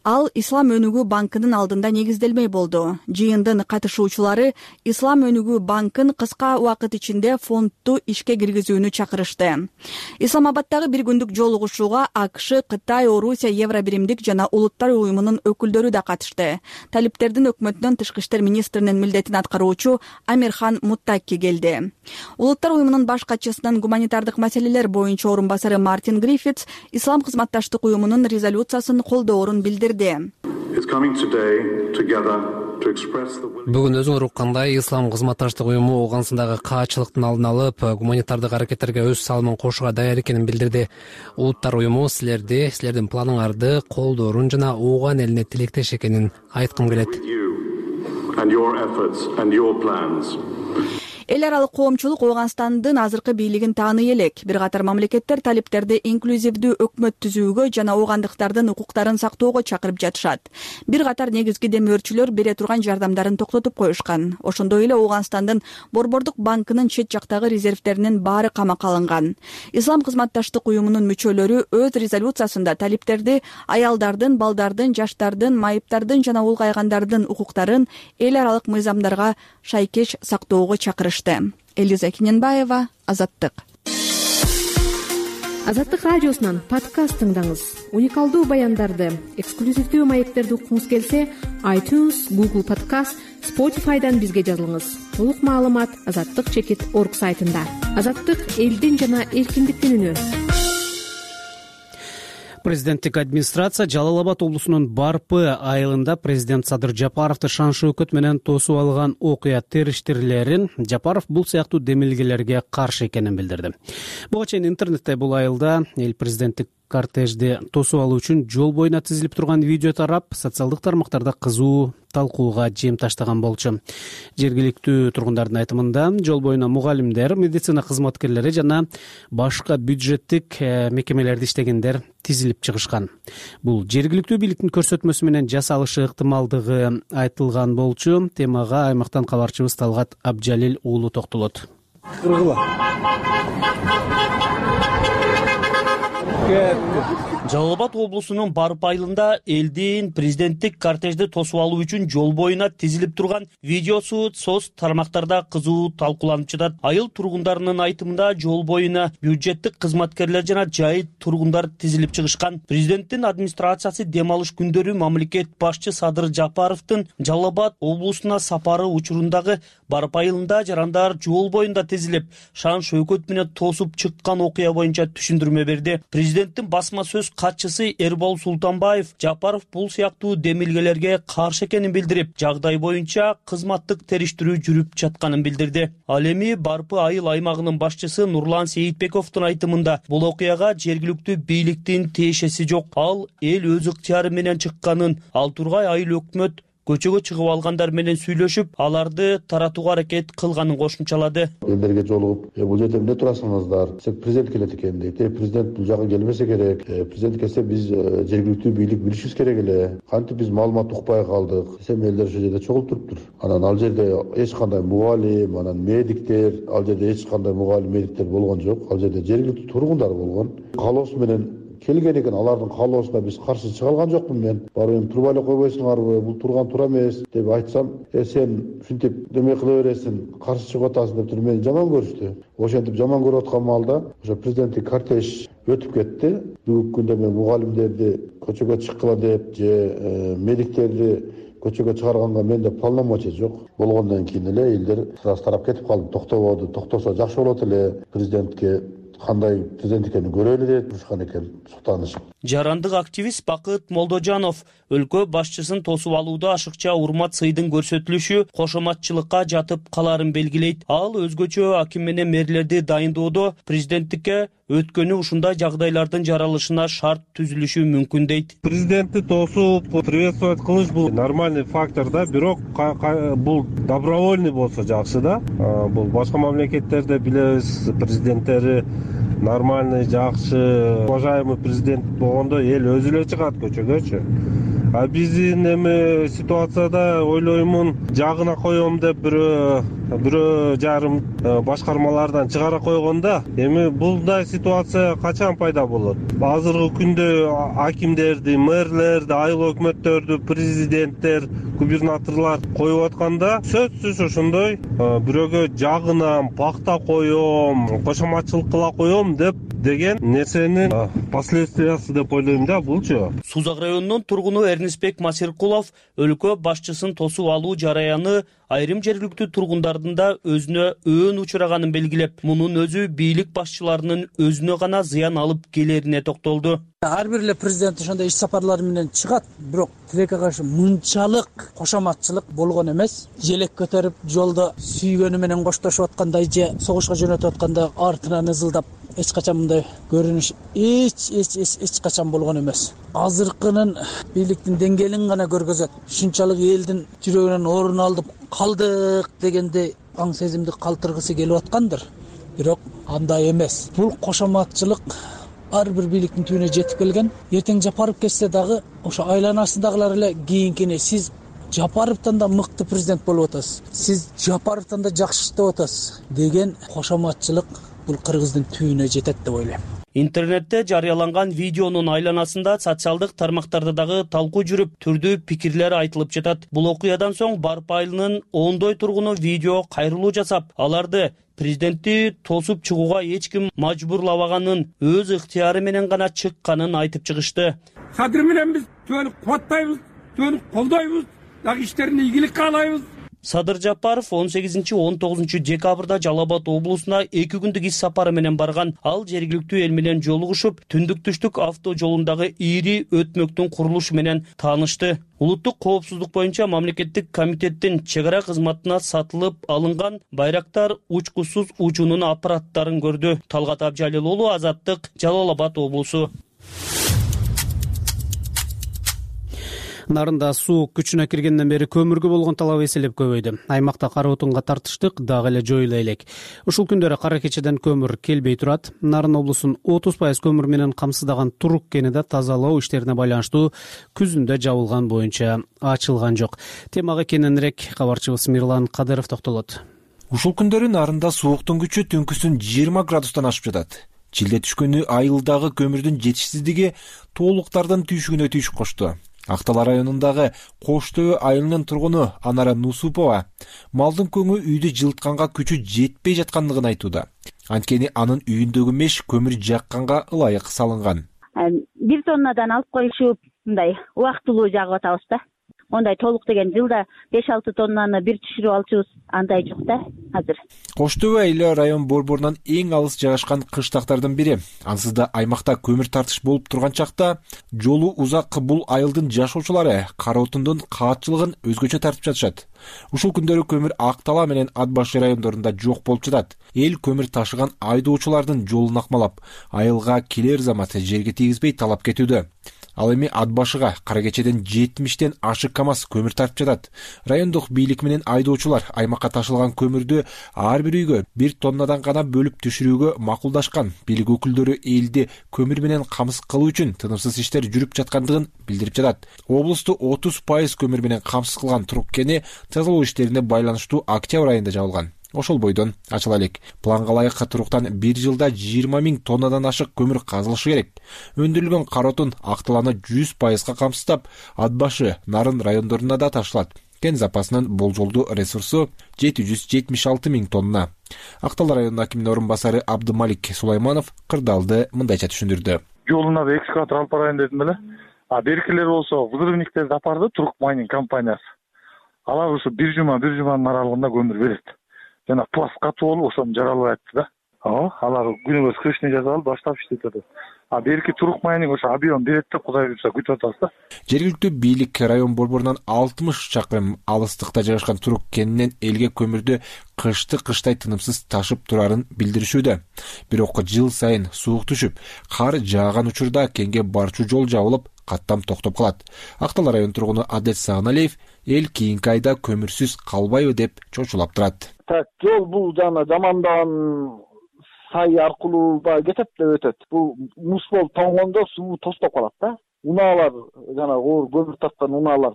Ал Ислам өнүгүү банкынын алдында негизделмей болду. Жыйындын катышуучулары Ислам өнүгүү банкын кыска убакыт ичинде фондду ишке киргизүүнү чакырышты. Исламабаддагы бир күндүк жолугушууга АКШ, Кытай, Орусия, Евробиримдик жана Улуттар уюмунун өкүлдөрү да катышты. Талиптердин өкмөтүнүн тышкы иштер министринин милдетин аткаруучу Амирхан Муттаки келди. Улуттар уюмунун баш катчысынын гуманитардык маселелер боюнча орун басары Мартин Гриффитс Ислам кызматташтык уюмунун резолюциясын колдоорун билдирди. Бүгүн өзүңөр уккандай Ислам кызматташтык уюму Ооганстандагы каачылыктын алдын алып, гуманитардык аракеттерге өз салымын кошууга даяр экенин билдирди. Улуттар уюму силердин планыңарды колдоорун жана Ооган элине тилектеш экенин айткым келет. and your efforts and your plans. Эл аралык коомчулук Ооганстандын азыркы бийлигин тааный элек. Бир катар мамлекеттер талиптерди инклюзивдүү өкмөт түзүүгө жана оогандыктардын укуктарын сактоого чакырып жатышат. Бир катар негизги демөөрчүлөр бере турган жардамдарын токтотуп коюшкан. Ошондой эле Ооганстандын Борбордук банкынын чет жактагы резервдеринин баары камакка алынган. Ислам кызматташтык уюмунун мүчөлөрү өз резолюциясында талиптерди аялдардын, балдардын, жаштардын, майыптардын жана улгайгандардын укуктарын эл аралык мыйзамдарга шайкеш сактоого чакырышты. Элиза Кененбаева, Азаттык. Азаттык радиосунан подкаст тыңдаңыз. Уникалдуу баяндарды, эксклюзивдүү маектерди уккуңуз келсе, iTunes, Google Podcast, Spotify'дан бизге жазылыңыз. Толук маалымат azattik.org сайтында. Азаттык элдин жана эркиндиктин үнү. Президенттик администрация Жалал Абад облусунун Барпы айылында президент Садыр Жапаровду шан шөкөт менен тосуп алган окуя териштирлерин Жапаров бул сыяктуу демилгелерге каршы экенин билдирди. Буга чейин интернетте бул айылда эл президенттик кортежди тосуп алуу үчүн жол боюна тизилип турган видео тарап, социалдык тармактарда кызуу талкууга жем таштаган болчу. Жергиликтүү тургундардын айтымында жол боюна мугалимдер, медицина кызматкерлери жана башка бюджеттик мекемелерде иштегендер тизилип чыгышкан. Бул жергиликтүү бийликтин көрсөтмөсү менен жасалышы ыктымалдыгы айтылган болчу. Темага аймактан кабарчыбыз Талгат Абджалил уулу токтолот. Жалал Абад облусунун Барпы айылында элдин президенттик кортежди тосуп алуу үчүн жол боюна тизилип турган видеосу соц тармактарда кызуу талкууланып жатат. Айыл тургундарынын айтымында жол боюна бюджеттик кызматкерлер жана жайыт тургундар тизилип чыгышкан. Президенттин администрациясы дем алыш күндөрү мамлекет башчы Садыр Жапаровдун Жалал Абад облусуна сапары учурундагы Барпы айылында жарандар жол боюнда тизилип, шан шөкөт менен тосуп чыккан окуя боюнча түшүндүрмө берди. Президенттин басма сөз катчысы Эрбол Султанбаев Жапаров бул сыяктуу демилгелерге каршы экенин билдирип, жагдай боюнча кызматтык териштирүү жүрүп жатканын билдирди. Ал эми Барпы айыл аймагынын башчысы Нурлан Сейитбековдун айтымында бул окуяга жергиликтүү бийликтин тиешеси жок. Ал эл өз ыктыяры менен чыкканын, ал тургай айыл өкмөт көчөгө чыгып алгандар менен сүйлөшүп, аларды таратууга аракет кылганын кошумчалады. Элдерге жолугуп, бул жерде эмне турасыңыздар? Президент келет экен дейт. Президент бул жакка келбесе керек. Президент келсе биз жергиликтүү бийлик билишибиз керек эле. Кантип биз маалымат укпай калдык? Десем элдер ошол жерде чогулуп туруптур. Анан ал жерде эч кандай мугалим, анан медиктер, ал жерде эч кандай мугалим, медиктер болгон жок. Ал жерде жергиликтүү тургундар болгон. Каалоосу менен келген экен, алардын каалоосуна биз каршы чыга алган жокмун мен. Барып эми туруп эле койбойсуңарбы? Бул турган туура эмес деп айтсам, сен ушинтип деме кыла бересиң, каршы чыгып атасың деп туруп мени жаман көрүштү. Ошентип жаман көрүп аткан маалда ошо президенттик кортеж өтүп кетти. Бүгүнкү күндө мен мугалимдерди көчөгө чыккыла деп же медиктерди көчөгө чыгарганга менде полномочия жок. Болгондон кийин эле элдер сразу тарап кетип калды. Токтободу, токтосо жакшы болот эле, президентке кандай президент экенин көрөлү деп турушкан экен, суктанышып. Жарандык активист Бакыт Молдожанов өлкө башчысын тосуп алууда ашыкча урмат сыйдын көрсөтүлүшү кошоматчылыкка жатып каларын белгилейт. Ал өзгөчө аким менен мэрлерди дайындоодо президенттикке өткөнү ушундай жагдайлардын жаралышына шарт түзүлүшү мүмкүн дейт. Президентти тосуп приветствовать кылыш бул нормальный фактор да, бирок бул добровольный болсо жакшы да. Бул башка мамлекеттерде билебиз, президенттери нормальный, жакшы, уважаемый президент болгондо эл өзү эле чыгат көчөгөчү. А биздин эми ситуацияда ойлоймун, жагына коем деп бирөө жарым башкармалардан чыгара койгонда, эми булдай ситуация качан пайда болот? Азыркы күндө акимдерди, мэрлерди, айыл өкмөттөрдү, президенттер, губернаторлор коюп атканда, сөзсүз ошондой бирөөгө жагынам, пакта коем, кошоматчылык кыла коем деген нерсенин последствиясы деп ойлойм да булчу. Сузак районунун тургуну Эрнисбек Масиркулов өлкө башчысын тосуп алуу жараяны айрым жергиликтүү тургундардын да өзүнө өөн учураганын белгилеп, мунун өзү бийлик башчыларынын өзүнө гана зыян алып келерине токтолду. Ар бир эле президент ошондой иш сапарлары менен чыгат, бирок тилекке каршы мынчалык кошоматчылык болгон эмес. Желек көтөрүп, жолдо сүйгөнү менен коштошуп аткандай же согушка жөнөтүп атканда артынан ызылдап эч качан мындай көрүнүш эч качан болгон эмес. Азыркынын бийликтин деңгээлин гана көргөзөт. Ушунчалык элдин жүрөгүнөн орун алып калдык дегенде аң сезимди калтыргысы келип аткандыр. Бирок андай эмес. Бул кошоматчылык ар бир бийликтин түбүнө жетип келген. Эртең Жапаров кетсе дагы ошо айланасындагылар эле кийинкини сиз Жапаровдон да мыкты президент болуп атасыз, сиз Жапаровдон да жакшы иштеп атасыз деген кошоматчылык бул кыргыздын түбүнө жетет деп ойлойм. Интернетте жарыяланган видеонун айланасында социалдык тармактарда дагы талкуу жүрүп, түрдүү пикирлер айтылып жатат. Бул окуядан соң Барып айылынын ондой тургуну видео кайрылуу жасап, аларды президентти тосуп чыгууга эч ким мажбурлабаганын, өз ыктыяры менен гана чыкканын айтып чыгышты. Кадыр менен биз түбөнү кубаттайбыз, түбөнү колдойбуз, дагы иштерине ийгилик каалайбыз. Садыр Жапаров 18-19 декабрда Жалал Абад облусуна 2 күндүк иш сапары менен барган. Ал жергиликтүү эл менен жолугушуп, түндүк-түштүк авто жолундагы ири өтмөктүн курулушу менен таанышты. Улуттук коопсуздук боюнча мамлекеттик комитеттин чек ара кызматына сатылып алынган байрактар учкусуз учуунун аппараттарын көрдү. Талгат Абжалил уулу, Азаттык, Жалал Абад облусу. Нарында суу күчүнө киргенден бери көмүргө болгон талап эселеп көбөйдү. Аймакта кара отунга тартыштык дагы эле жоюла элек. Ушул күндөрү кара кечеден көмүр келбей турат. Нарын облусун 30% көмүр менен камсыздаган Турук кени да тазалоо иштерине байланыштуу күзүндө жабылган боюнча ачылган жок. Темага кененирээк кабарчыбыз Мирлан Кадыров токтолот. Ушул күндөрү нарында сууктун күчү түнкүсүн 20 градустан ашып жатат. Чилде түшкөнү айылдагы көмүрдүн жетишсиздиги тоолуктардын түйшүгүнө түйшүк кошту. Актала районундагы Кош Төбө айылынын тургуну Анара Нусупова малдын көңү үйдү жылытканга күчү жетпей жаткандыгын айтууда. Анткени анын үйүндөгү меш көмүр жакканга ылайык салынган. 1 тоннадан алып коюшуп, мындай убактылуу жагып атабыз да. Ондай толук деген жылда 5-6 тоннаны бир түшүрүп алчубуз, андай жок да азыр. Кош Төбө айылы район борборунан эң алыс жайгашкан кыштактардын бири. Ансыз да аймакта көмүр тартыш болуп турган чакта жолу узак бул айылдын жашоочулары кара отундун каатчылыгын өзгөчө тартып жатышат. Ушул күндөрү көмүр Актала менен Ат башы райондорунда жок болуп жатат. Эл көмүр ташыган айдоочулардын жолун акмалап, айылга келер замат жерге тийгизбей талап кетүүдө. Ал эми Ат башыга кара кечеден 70тен ашык КАМАЗ көмүр тартып жатат. Райондук бийлик менен айдоочулар аймакка ташылган көмүрдү ар бир үйгө 1 тоннадан гана бөлүп түшүрүүгө макулдашкан. Бийлик өкүлдөрү элди көмүр менен камсыз кылуу үчүн тынымсыз иштер жүрүп жаткандыгын билдирип жатат. Облусту 30% көмүр менен камсыз кылган Турук кени тазалоо иштерине байланыштуу октябрь айында жабылган. Ошол бойдон ачыла элек. Планга ылайык Туруктан 1 жылда 20 000 тоннадан ашык көмүр казылышы керек. Өндүрүлгөн кара отун Акталаны 100% камсыздап, Ат башы, Нарын райондоруна да ташылат. Кен запасынын болжолдуу ресурсу 776 000 тонна. Актала районунун акиминин орун басары Абдымалик Сулайманов кырдаалды мындайча түшүндүрдү. Жолуна да экскаватор алып барайын дедим эле. Беркилер болсо взрывниктерди апарды Турук майнинг компаниясы. Алар ушу 1 жуманын аралыгында көмүр берет. Жана пласт катуу болуп ошону жаралып айтты да. Алар күнүбөз крышный жазып алып баштап иштетип атат. Берки Турук майнинг ошо объем берет деп Кудай буйрса күтүп атабыз да. Жергиликтүү бийлик район борборунан 60 чакырым алыстыкта жайгашкан Турук кенинен элге көмүрдү кыштай тынымсыз ташып турарын билдиришүүдө. Бирок жыл сайын суук түшүп, кар жааган учурда кенге барчу жол жабылып, каттам токтоп калат. Актала район тургуну Адет Сааналиев эл кийинки айда көмүрсүз калбайбы деп чочулап турат. Жол бул жана жамандаган сай аркылуу кетет деп өтөт. Бул муз болуп тоңгондо суу тостоп калат да. Унаалар жана оор көмүр тарткан унаалар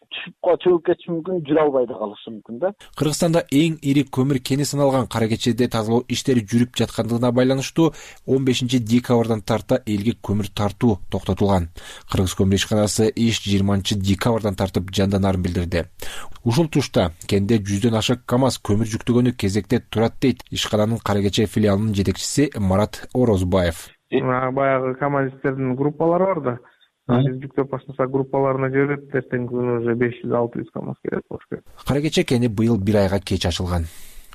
чөгүп кетиши мүмкүн, жүрө албай да калышы мүмкүн да. Кыргызстанда эң ири көмүр кени саналган кара кечеде тазалоо иштери жүрүп жаткандыгына байланыштуу 15 декабрдан тарта элге көмүр тартуу токтотулган. Кыргыз көмүр ишканасы иш 20 декабрдан тартып жанданарын билдирди. Ушул тушта кенде 100дөн ашык КАМАЗ көмүр жүктөгөнү кезекте турат дейт ишкананын кара кече филиалынын жетекчиси Марат Орозбаев. Баягы КАМАЗистердин группалары бар да. Биз жүктөп баштасак группаларына жиберет, эртеңки күнү уже 500-600 КАМАЗ керек болуш керек. Кара кече кени быйыл 1 айга кеч ачылган.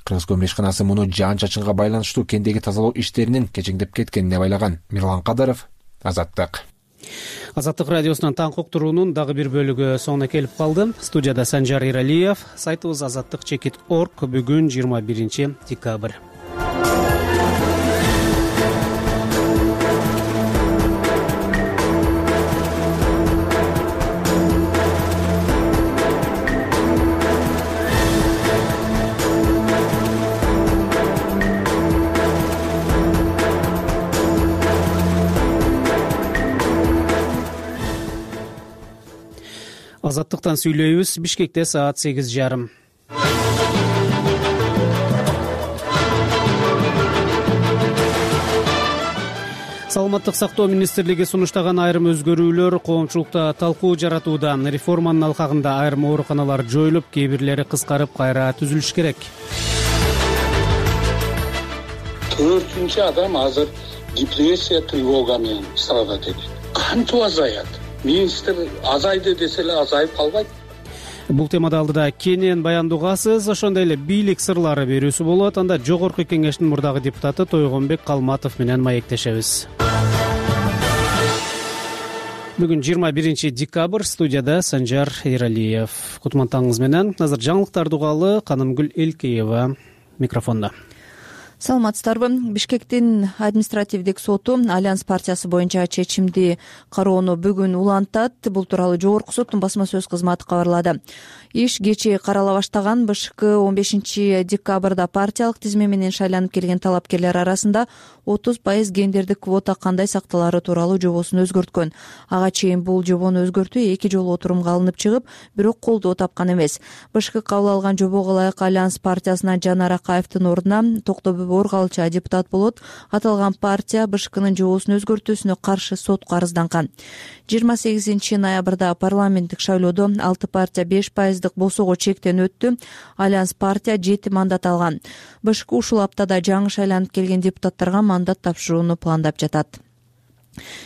Кыргыз көмүр ишканасы муну жаан-чачынга байланыштуу кендеги тазалоо иштеринин кечеңдеп кеткенине байлаган. Мирлан Кадыров, Азаттык. Азаттык радиосунун таңкы уктуруунун дагы бир бөлүгү соңуна келип калды. Студияда Санжар Иралиев, сайтыбыз azattik.org. Бүгүн 21 декабрь. Азаттыктан сүйлөйбүз. Бишкекте саат 8:30. Саламаттык сактоо министрлиги сунуштаган айрым өзгөрүүлөр коомчулукта талкуу жаратууда. Реформанын алкагында айрым ооруканалар жоюлуп, кээ бирлери кыскарып кайра түзүлүш керек. 4-чү адам азыр депрессия, тревога менен страдать этет. Кантип азаят? Министр азайды десе эле азайып калбайт. Бул темада алдыда кенен баяндоогасыз, ошондой эле бийлик сырлары берүүсү болот. Анда жогорку кеңештин мурдагы депутаты Тойгонбек Калматов менен маектешебиз. Бүгүн 21 декабрь, студияда Санжар Эралиев. Кутмантаңыз менен азыр жаңылыктарды угалы. Канымгүл Элкеева микрофондо. Саламатсыздарбы? Бишкектин административдик соту Альянс партиясы боюнча чечимди кароону бүгүн улантат. Бул тууралуу жогорку соттун басма сөз кызматы кабарлады. Иш кечээ карала баштаган. БШК 15 декабрда партиялык тизме менен шайланып келген талапкерлер арасында 30% гендердик квота кандай сакталары тууралуу жобосун өзгөрткөн. Ага чейин бул жобону өзгөртүү 2 жолу отурумга алынып чыгып, бирок колдоо тапкан эмес. БШК кабыл алган жобого ылайык Альянс партиясына Жанар Акаевдин ордуна Токтобү Оргалча депутат болот. Аталган партия БШКнын жобосун өзгөртүүсүнө каршы сотко арызданган. 28 ноябрда парламенттик шайлоодо 6 партия 5% босого чектен өттү. Альянс партия 7 мандат алган. БШК ушул аптада жаңы шайланып келген депутаттарга мандат тапшырууну пландап жатат.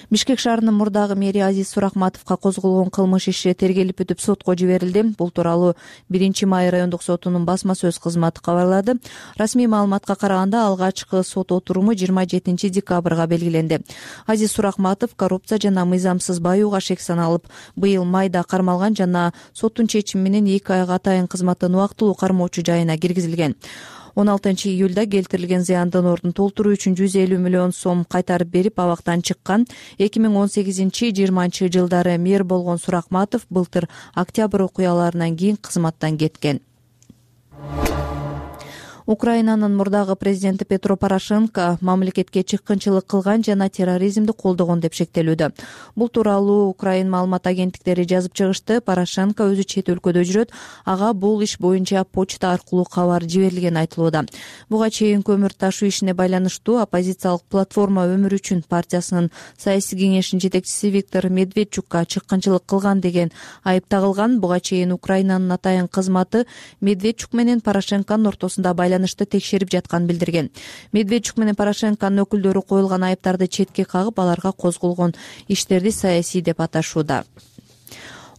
Бишкек шаарынын мурдагы мэри Азиз Сурахматовго козголгон кылмыш иши тергелип бүтүп сотко жиберилди. Бул тууралуу 1 май райондук сотунун басма сөз кызматы кабарлады. Расмий маалыматка караганда алгачкы сот отуруму 27 декабрга белгиленди. Азиз Сурахматов коррупция жана мыйзамсыз баюуга шек саналып, быйыл майда кармалган жана соттун чечими менен 2 айга атайын кызматтан убактылуу кармоочу жайына киргизилген. 16 июлда келтирилген зыяндын ордун толтуруу үчүн 150 миллион сом кайтарып берип абактан чыккан. 2018-20 жылдары мэр болгон Сурахматов былтыр октябрь окуяларынан кийин кызматтан кеткен. Украинанын мурдагы президенти Петро Порошенко мамлекетке чыккынчылык кылган жана терроризмди колдогон деп шектелүүдө. Бул тууралуу Украин маалымат агенттиктери жазып чыгышты. Порошенко өзү чет өлкөдө жүрөт. Ага бул иш боюнча почта аркылуу кабар жиберилгени айтылууда. Буга чейин көмүр ташуу ишине байланыштуу оппозициялык платформа Өмүр үчүн партиясынын саясий кеңешинин жетекчиси Виктор Медведчукка чыккынчылык кылган деген айып тагылган. Буга чейин Украинанын атайын кызматы Медведчук менен Порошенконун ортосунда текшерип жатканын билдирген. Медведчук менен Порошенконун өкүлдөрү коюлган айыптарды четке кагып, аларга козголгон иштерди саясий деп аташууда.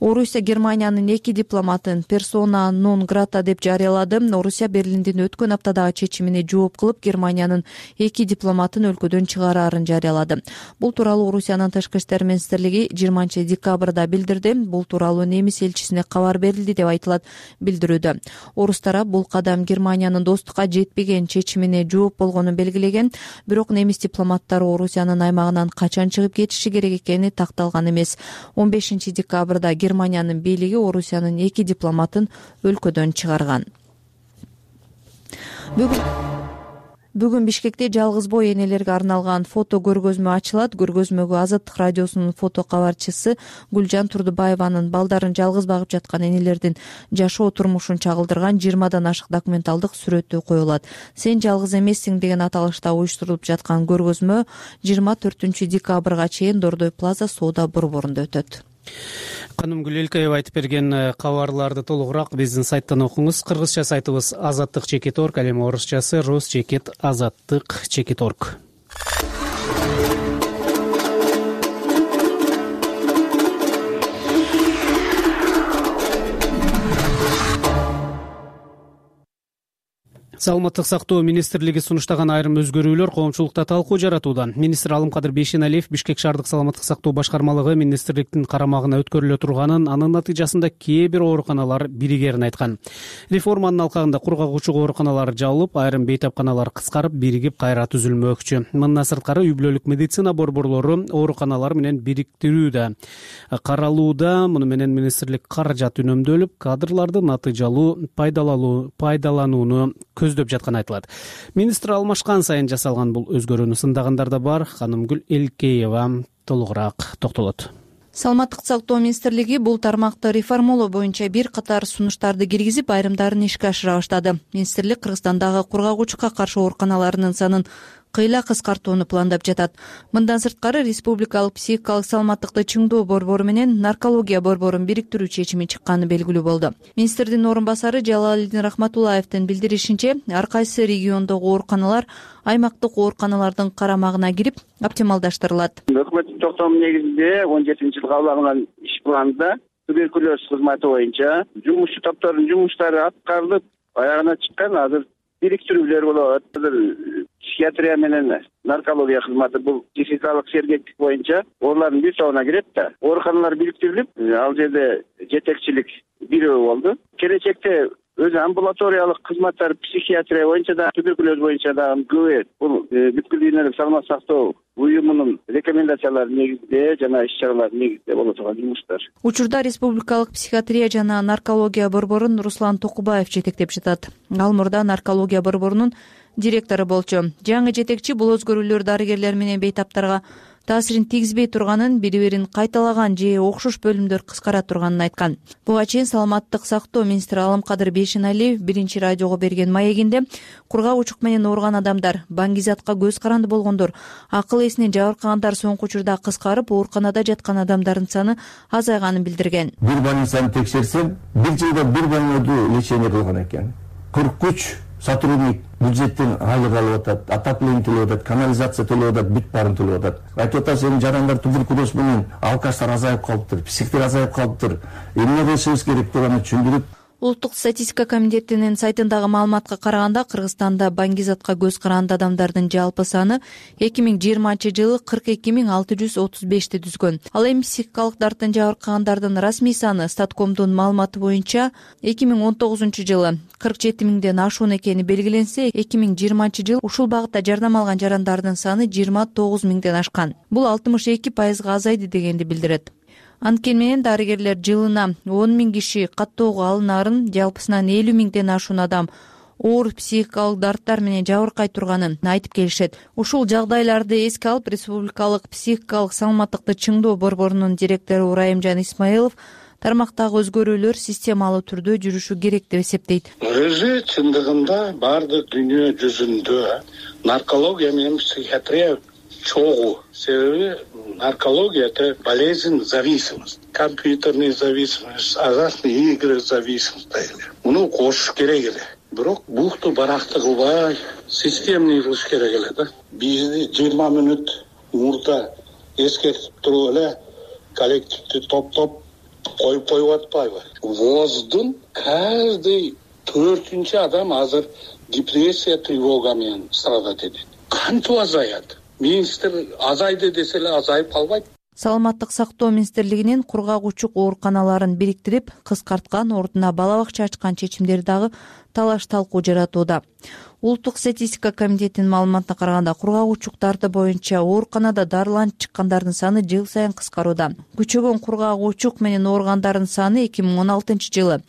Орусия Германиянын 2 дипломатын персона нон грата деп жарыялады. Орусия Берлиндин өткөн аптадагы чечимине жооп кылып, Германиянын 2 дипломатын өлкөдөн чыгарарын жарыялады. Бул тууралуу Орусиянын тышкы иштер министрлиги 20 декабрда билдирди. Бул тууралуу немис элчисине кабар берилди деп айтылат билдирүүдө. Орус тарап бул кадам Германиянын достукка жетпеген чечимине жооп болгонун белгилеген, бирок немис дипломаттары Орусиянын аймагынан качан чыгып кетиши керек экени такталган эмес. 15 декабрда Германиянын бийлиги Орусиянын 2 дипломатын өлкөдөн чыгарган. Бүгүн Бишкекте жалгыз бой энелерге арналган фото көргөзмө ачылат. Көргөзмөгө Азаттык радиосунун фото кабарчысы Гүлжан Турдубаеванын балдарын жалгыз багып жаткан энелердин жашоо турмушун чагылдырган 20дан ашык документалдык сүрөтү коюлат. Сен жалгыз эмессиң деген аталышта уюштурулуп жаткан көргөзмө 24 декабрга чейин Дордой Плаза соода борборунда өтөт. Канымгүл Элкеева айтып берген кабарларды толугураак биздин сайттан окуңуз. Кыргызча сайтыбыз azattik.org, ал эми орусчасы rus.azattik.org. Саламаттык сактоо министрлиги сунуштаган айрым өзгөрүүлөр коомчулукта талкуу жаратууда. Министр Алымкадыр Бейшеналиев Бишкек шаардык саламаттык сактоо башкармалыгы министрликтин карамагына өткөрүлө турганын, анын натыйжасында кээ бир ооруканалар биригерин айткан. Реформанын алкагында кургагучу ооруканалар жабылып, айрым бейтапканалар кыскарып, биригип кайра түзүлмөкчү. Мындан сырткары үй бүлөлүк медицина борборлору ооруканалар менен бириктирүүдө каралууда. Муну менен министрлик каражат үнөмдөлүп, кадрларды натыйжалуу пайдаланууну көздөп жатканы айтылат. Министр алмашкан сайын жасалган бул өзгөрүүнү сындагандар да бар. Канымгүл Элкеева толугураак токтолот. Саламаттык сактоо министрлиги бул тармакты реформалоо боюнча бир катар сунуштарды киргизип, айрымдарын ишке ашыра баштады. Министрлик Кыргызстандагы кургагучукка каршы ооруканаларынын санын кыйла кыскартууну пландап жатат. Мындан сырткары республикалык психикалык саламаттыкты чыңдоо борбору менен наркология борборун бириктирүү чечими чыкканы белгилүү болду. Министрдин орун басары Жалалидин Рахматуллаевдин билдиришинче, ар кайсы региондогу ооруканалар аймактык ооруканалардын карамагына кирип оптималдаштырылат. Өкмөттүн токтому негизинде 17-жылы кабыл алынган иш планда туберкулез кызматы боюнча жумушчу топтордун жумуштары аткарылып, аягына чыккан. Азыр бириктирүүлөр болот. Психиатрия менен наркология кызматы бул психикалык сергектик боюнча олардын бир тобуна кирет да. Ооруканалар бириктирилип, ал жерде жетекчилик бирөө болду. Келечекте өзү амбулаториялык кызматтар психиатрия боюнча да, туберкулез боюнча да көбөйөт. Бул бүткүл дүйнөлүк саламаттык сактоо уюмунун рекомендациялары негизинде жана иш-чаралардын негизинде боло турган жумуштар. Учурда республикалык психиатрия жана наркология борборун Руслан Токубаев жетектеп жатат. Ал мурда наркология борборунун директору болчу. Жаңы жетекчи бул өзгөрүүлөр дарыгерлер менен бейтаптарга таасирин тийгизбей турганын, бири-бирин кайталаган же окшош бөлүмдөр кыскара турганын айткан. Буга чейин саламаттык сактоо министри Аламкадыр Бейшеналиев биринчи радиого берген маегинде кургагучук менен ооруган адамдар, баңгизатка көз каранды болгондор, акыл эсинен жабыркагандар соңку учурда кыскарып, ооруканада жаткан адамдардын саны азайганын билдирген. Бир больницаны текшерсем, бир жылда бир больнойду лечение кылган экен. 43 сотрудник бюджеттен айлык алып атат, отопление төлөп атат, канализация төлөп атат, бүт баарын төлөп атат. Айтып атат, эми жарандар туберкулез менен алкаштар азайып калыптыр, психтер азайып калыптыр. Эмне кылышыбыз керек деп аны түшүндүрүп. Улуттук статистика комитетинин сайтындагы маалыматка караганда, Кыргызстанда баңгизатка көз каранды адамдардын жалпы саны 2020-жылы 42.635 түзгөн. Ал эми психикалык дарттан жабыркагандардын расмий саны Статкомдун маалыматы боюнча 2019-жылы 47.000ден ашуун экени белгиленсе, 2020-жылы ушул багытта жардам алган жарандардын саны 29.000ден ашкан. Бул 62%га азайды дегенди билдирет. Анткени менен дарыгерлер жылына 10.000 киши каттоого алынаарын, жалпысынан 50.000ден ашуун адам оор психикалык дарттар менен жабыркай турганын айтып келишет. Ушул жагдайларды эске алып, республикалык психикалык саламаттыкты чыңдоо борборунун директору Райымжан Исмаилов тармактагы өзгөрүүлөр системалуу түрдө жүрүшү керек деп эсептейт. Өзү чындыгында бардык дүйнө жүзүндө наркология менен психиатрия чогуу. Себеби наркология — это болезнь зависимость, компьютерная зависимость, азартные игры зависимость. Муну кошуш керек эле. Бирок букту баракты кылбай, системный кылыш керек эле да. Бизди 20 мүнөт мурда эскертип туруп эле коллективди топтоп коюп атпайбы? ВОЗдун каждый 4-чү адам азыр депрессия, тревога менен страдать этет. Кантип азаят? Министр азайды десе эле азайып калбайт. Саламаттык сактоо министрлигинин кургагучук ооруканаларын бириктирип, кыскарткан, ордуна бала бакча ачкан чечимдери дагы талаш талкуу жаратууда. Улуттук статистика комитетинин маалыматына караганда, кургагучуктарды боюнча ооруканада дарыланып чыккандардын саны жыл сайын кыскарууда. Күчөгөн кургагучук менен ооругандардын саны 2016-жылы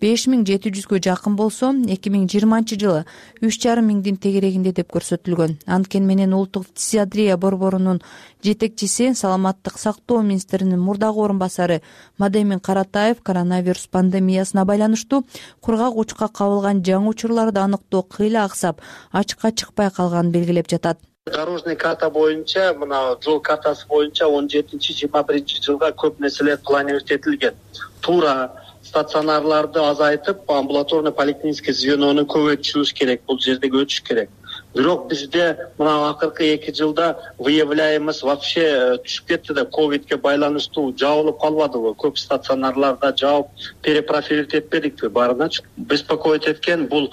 5700гө жакын болсо, 2020-жылы 3500-дин тегерегинде деп көрсөтүлгөн. Анткени менен улуттук психиатрия борборунун жетекчиси, саламаттык сактоо министринин мурдагы орун басары Мадемин Каратаев коронавирус пандемиясына байланыштуу кургагучукка кабылган жаңы учурларды аныктоо кыйла аксап, ачыкка чыкпай калганын белгилеп жатат. Дорожный карта боюнча, мына жол картасы боюнча 17-21 жылга көп нерселер планировать этилген. Туура стационарларды азайтып, амбулаторный поликлинический звенону көбөйтүшүбүз керек, бул жерде өтүш керек. Бирок бизде мына акыркы 2 жылда выявляемость вообще түшүп кетти да, ковидке байланыштуу жабылып калбадыбы? Көп стационарларда жаап перепрофилировать этпедикпи? Баарыначы беспокоить эткен бул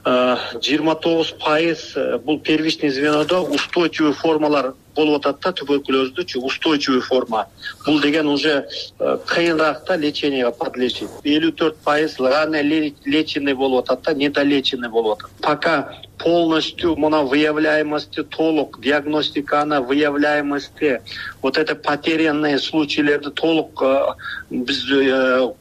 29% бул первичный звенодо устойчивый формалар болуп атат да, туберкулездүчү устойчивый форма. Бул деген уже кыйыныраак да леченияга подлежит. 54% ранее леченный болуп атат да, недолеченный болуп атат. Пока полностью мына выявляемости толук, диагностиканы выявляемости, вот это потерянные случайлерди толук биз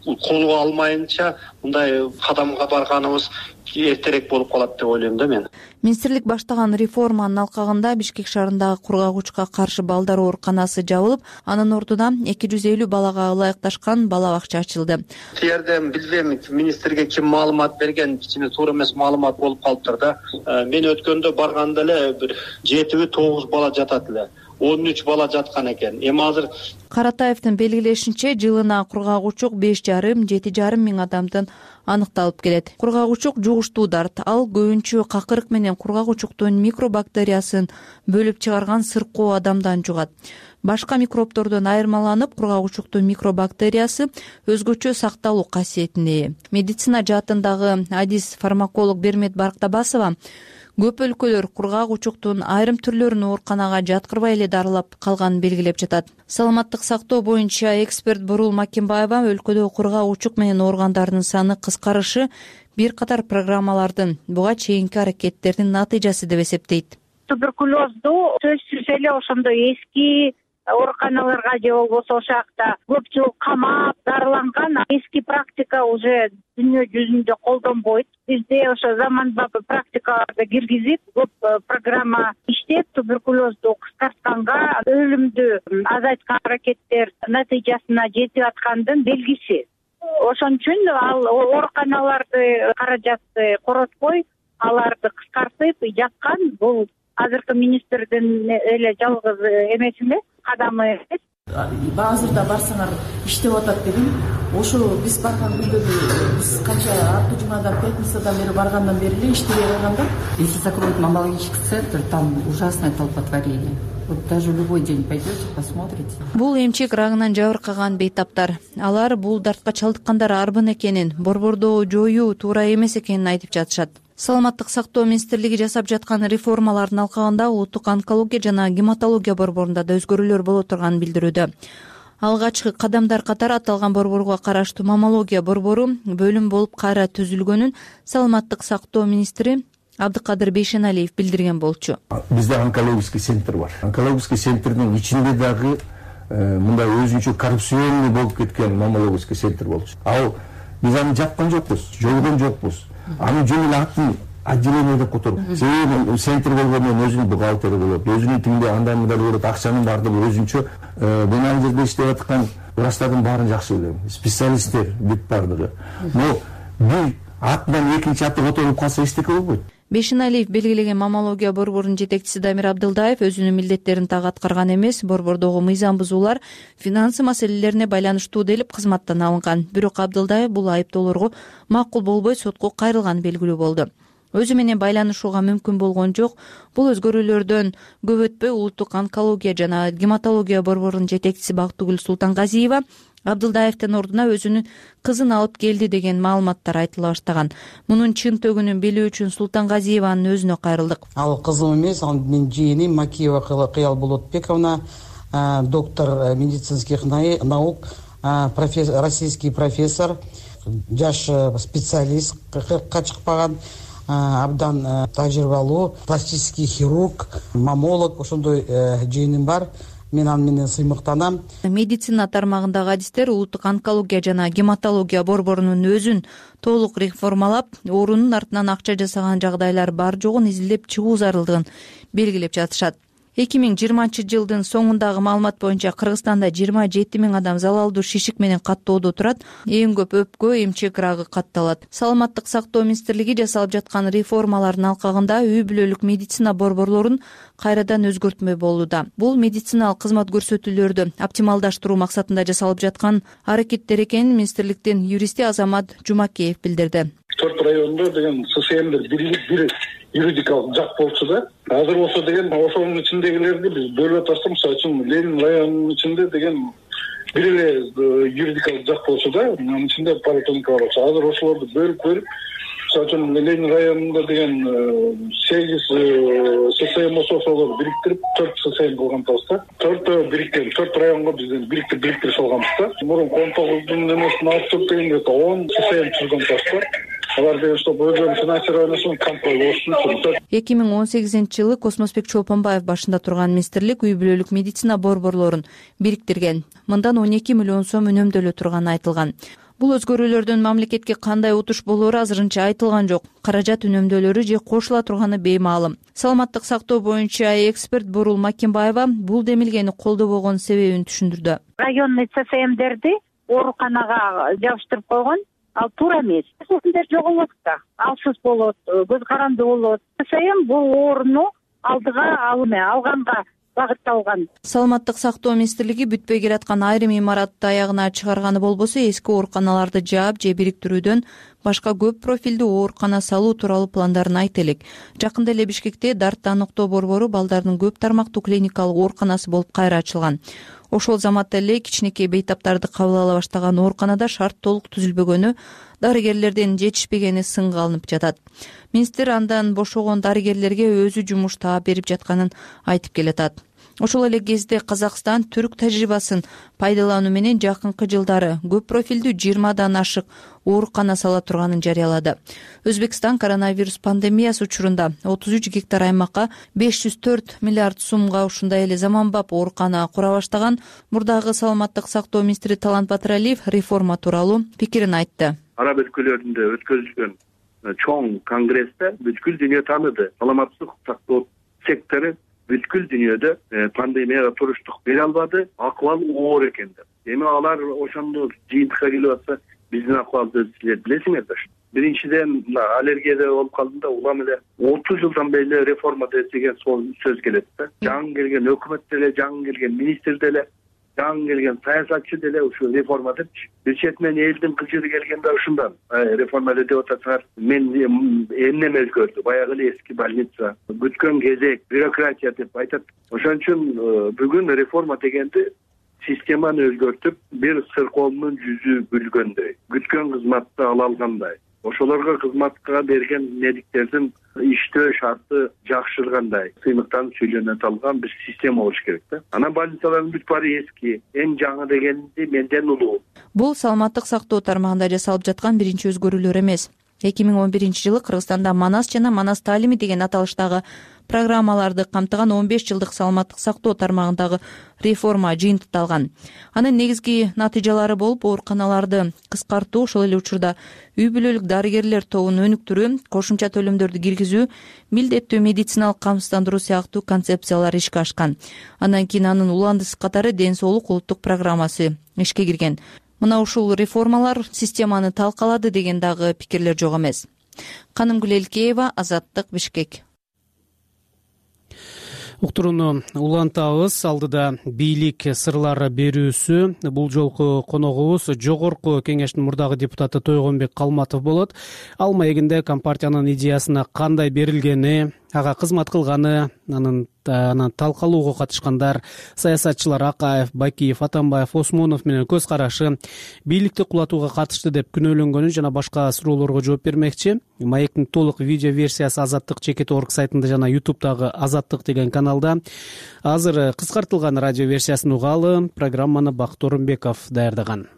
колго алмайынча мындай кадамга барганыбыз эртерээк болуп калат деп ойлойм да мен. Министрлик баштаган реформанын алкагында Бишкек шаарындагы кургагучка каршы балдар ооруканасы жабылып, анын ордуна 250 балага ылайыкташкан бала бакча ачылды. Тиерден билбейм, министрге ким маалымат берген, кичине туура эмес маалымат болуп калыптыр да. Мен өткөндө барганда эле бир 7-9 бала жатат эле. 13 бала жаткан экен. Эми азыр Каратаевдин белгилешинче, жылына кургагучук 5,5–7,5 миң адамдын аныкталып келет. Кургагучук жугуштуу дарт. Ал көбүнчө какырык менен кургагучуктун микробактериясын бөлүп чыгарган сыркоо адамдан жугат. Башка микробтордон айырмаланып, кургагучуктун микробактериясы өзгөчө сакталуу касиетине ээ. Медицина жаатындагы адис фармаколог Бермет Барктабасова көп өлкөлөр кургагучуктун айрым түрлөрүн ооруканага жаткырбай эле дарылап калганын белгилеп жатат. Саламаттык сактоо боюнча эксперт Бурул Макимбаева өлкөдө кургагучук менен ооругандардын саны кыскарышы бир катар программалардын буга чейинки аракеттердин натыйжасы деп эсептейт. Туберкулезду сөзсүз эле ошондой эски ооруканаларга же болбосо ошол жакта көп жыл камап дарыланган эски практика уже дүйнө жүзүндө колдонбойт. Бизде ошо заманбап практикаларды киргизип, көп программа иштеп, туберкулезду кыскартканга, өлүмдү азайткан аракеттер натыйжасына жетип аткандын белгиси. Ошон үчүн ал ооруканаларды каражатты коротпой, аларды кыскартып жаткан бул азыркы министрдин эле жалгыз эмеси эмес, кадамы эмес. Баазырда барсаңар иштеп атат дегем, ошо биз барган күндөрү биз канча арты жумадан, пятницадан бери баргандан бери эле иштебей калганда. Если закроют маммологический центр, там ужасное толпотворение. Вот даже в любой день пойдете, посмотрите. Бул эмчек рагынан жабыркаган бейтаптар. Алар бул дартка чалдыккандар арбын экенин, борборду жоюу туура эмес экенин айтып жатышат. Саламаттык сактоо министрлиги жасап жаткан реформалардын алкагында улуттук онкология жана гематология борборунда да өзгөрүүлөр боло турганын билдирүүдө. Алгачкы кадамдар катары аталган борборго караштуу маммология борбору бөлүм болуп кайра түзүлгөнүн саламаттык сактоо министри Абдыкадыр Бейшеналиев билдирген болчу. Бизде онкологический центр бар. Онкологический центрдин ичинде дагы мындай өзүнчө коррупционный болуп кеткен маммологический центр болчу. Ал биз аны жапкан жокпуз, жойгон жокпуз. Аны жөн эле атын отделение деп которуп. Себеби центр болгондон өзүнүн бухгалтери болот, өзүнүн тигинде андай мындай болот, акчанын баардыгы өзүнчө. Мен ал жерде иштеп аткан врачтардын баарын жакшы билем. Специалисттер бүт баардыгы. Но бир атынан экинчи аты которуп калса эчтеке болбойт. Бейшеналиев белгилеген маммология борборунун жетекчиси Дамир Абдылдаев өзүнүн милдеттерин так аткарган эмес, борбордогу мыйзам бузуулар финансы маселелерине байланыштуу делип кызматтан алынган. Бирок Абдылдаев бул айыптоолорго макул болбой сотко кайрылганы белгилүү болду. Өзү менен байланышууга мүмкүн болгон жок. Бул өзгөрүүлөрдөн көп өтпөй улуттук онкология жана гематология борборунун жетекчиси Бактыгүл Султангазиева Абдылдаевдин ордуна өзүнүн кызын алып келди деген маалыматтар айтыла баштаган. Мунун чын төгүнүн билүү үчүн Султангазиеванын өзүнө кайрылдык. Ал кызым эмес, ал менин жыйыным Макиева Кыял Болотбековна, доктор медицинских наук, российский профессор, жаш специалист, 40-ка чыкпаган, абдан тажрыйбалуу, пластический хирург, маммолог, ошондой жыйыным бар. Мен аны менен сыймыктанам. Медицина тармагындагы адистер улуттук онкология жана гематология борборунун өзүн толук реформалап, оорунун артынан акча жасаган жагдайлар бар жогун изилдеп чыгуу зарылдыгын белгилеп жатышат. 2020-жылдын соңундагы маалымат боюнча Кыргызстанда 27 миң адам залалдуу шишик менен каттоодо турат. Эң көп өпкө, эмчек рагы катталат. Саламаттык сактоо министрлиги жасалып жаткан реформалардын алкагында үй бүлөлүк медицина борборлорун кайрадан өзгөртмө болууда. Бул медициналык кызмат көрсөтүүлөрдү оптималдаштыруу максатында жасалып жаткан аракеттер экенин министрликтин юристи Азамат Жумакеев билдирди. 4 райондо деген ССМдер бир юридикалык жак болчу да. Азыр болсо деген ошонун ичиндегилерди биз бөлүп атсак, мисалы үчүн Ленин районунун ичинде деген бир эле юридикалык жак болчу да, анын ичинде поликлиника бар болчу. Азыр ошолорду бөлүп, мисалы үчүн Ленин районунда деген 8 ССМ ошолорду бириктирип 4 ССМ кылган атабыз. 4 бириккен, 4 районго бизден бириктирип салганбыз да. Мурун 19 эмесин алып туруп дегенде 10 ССМ түзгөн атабыз. Алар деген что өзүнүн финансированиясын камтый болушу үчүн. 2018-жылы Космосбек Чолпонбаев башында турган министрлик үй бүлөлүк медицина борборлорун бириктирген. Мындан 12 миллион сом үнөмдөлө турганы айтылган. Бул өзгөрүүлөрдөн мамлекетке кандай утуш болоору азырынча айтылган жок. Каражат үнөмдөлөрү же кошула турганы беймаалым. Саламаттык сактоо боюнча эксперт Бурул Макимбаева бул демилгени колдобогон себебин түшүндүрдү. Районный ЦСМдерди ооруканага жабыштырып койгон, ал туура эмес. ЦСМдер жоголот да, алсыз болот, көз каранды болот. ЦСМ бул ооруну алдыга алганга багытталган. Саламаттык сактоо министрлиги бүтпөй келаткан айрым имаратты аягына чыгарганы болбосо эски ооруканаларды жаап же бириктирүүдөн башка көп профилдүү оорукана салуу тууралуу пландарын айта элек. Жакында эле Бишкекте Дартты аныктоо борбору балдардын көп тармактуу клиникалык ооруканасы болуп кайра ачылган. Ошол заматта эле кичинекей бейтаптарды кабыл ала баштаган ооруканада шарт толук түзүлбөгөнү, дарыгерлердин жетишпегени сынга алынып жатат. Министр андан бошогон дарыгерлерге өзү жумуш таап берип жатканын айтып келатат. Ошол эле кезде Казакстан түрк тажрыйбасын пайдалануу менен жакынкы жылдары көп профилдүү 20дан ашык оорукана сала турганын жарыялады. Өзбекстан коронавирус пандемиясы учурунда 33 гектар аймакка 504 миллиард сумга ушундай эле заманбап оорукана кура баштаган. Мурдагы саламаттык сактоо министри Талант Батыралиев реформа тууралуу пикирин айтты. Араб өлкөлөрүндө өткөрүлгөн чоң конгрессте бүткүл дүйнө тааныды. Саламаттык сактоо сектору бүткүл дүйнөдө пандемияга туруштук бере албады, акыбал оор экен деп. Эми алар ошондо жыйынтыкка келип атса, биздин акыбалды силер билесиңерби? Биринчиден аллергияда болуп калдым да, улам эле 30 жылдан бери реформа деген сөз келет да. Жаңы келген өкмөт деле, жаңы келген министр деле, жаңы келген саясатчы деле ушу реформа депчи. Бир четинен элдин кызыгы келгенде ушундан реформа деп атасыңар. Мен эмнеме өзгөрдү? Баягы эле эски больница, бүткөн кезек, бюрократия деп айтат. Ошон үчүн бүгүн реформа дегенди системаны өзгөртүп, бир сыркоомдун жүзү бүлгөндөй, күткөн кызматты ала алгандай, ошолорго кызматка берген медиктердин иштөө шарты жакшыргандай сыймыктан сүйлөнөт алган бир система болуш керек да. Анан больницалардын бүт баары эски, эң жаңы дегенди менден улуу. Бул саламаттык сактоо тармагында жасалып жаткан биринчи өзгөрүүлөр эмес. 2011-жылы Кыргызстанда Манас жана Манас таалими деген аталыштагы программаларды камтыган 15 жылдык саламаттык сактоо тармагындагы реформа жыйынтыкталган. Анын негизги натыйжалары болуп ооруканаларды кыскартуу, ошол эле учурда үй бүлөлүк дарыгерлер тобун өнүктүрүү, кошумча төлөмдөрдү киргизүү, милдеттүү медициналык камсыздандыруу сыяктуу концепциялар ишке ашкан. Андан кийин анын уландысы катары ден соолук улуттук программасы ишке кирген. Мына ушул реформалар системаны талкалады деген дагы пикирлер жок эмес. Канымгүл Элкеева, Азаттык, Бишкек. Уктурууну улантабыз. Алдыда бийлик сырлары берүүсү. Бул жолку коногубуз Жогорку Кеңештин мурдагы депутаты Тойгонбек Калматов болот. Ал маегинде Компартиянын идеясына кандай берилгени, ага кызмат кылганы, анан талкалоого катышкандар, саясатчылар Акаев, Бакиев, Атамбаев, Осмонов менен көз карашы, бийликти кулатууга катышты деп күнөөлөнгөнү жана башка суроолорго жооп бермекчи. Маектин толук видео версиясы Азаттык /org сайтында жана YouTube'дагы Азаттык деген каналда. Азыр кыскартылган радио версиясын угалы. Программаны Бакыт Орунбеков даярдаган.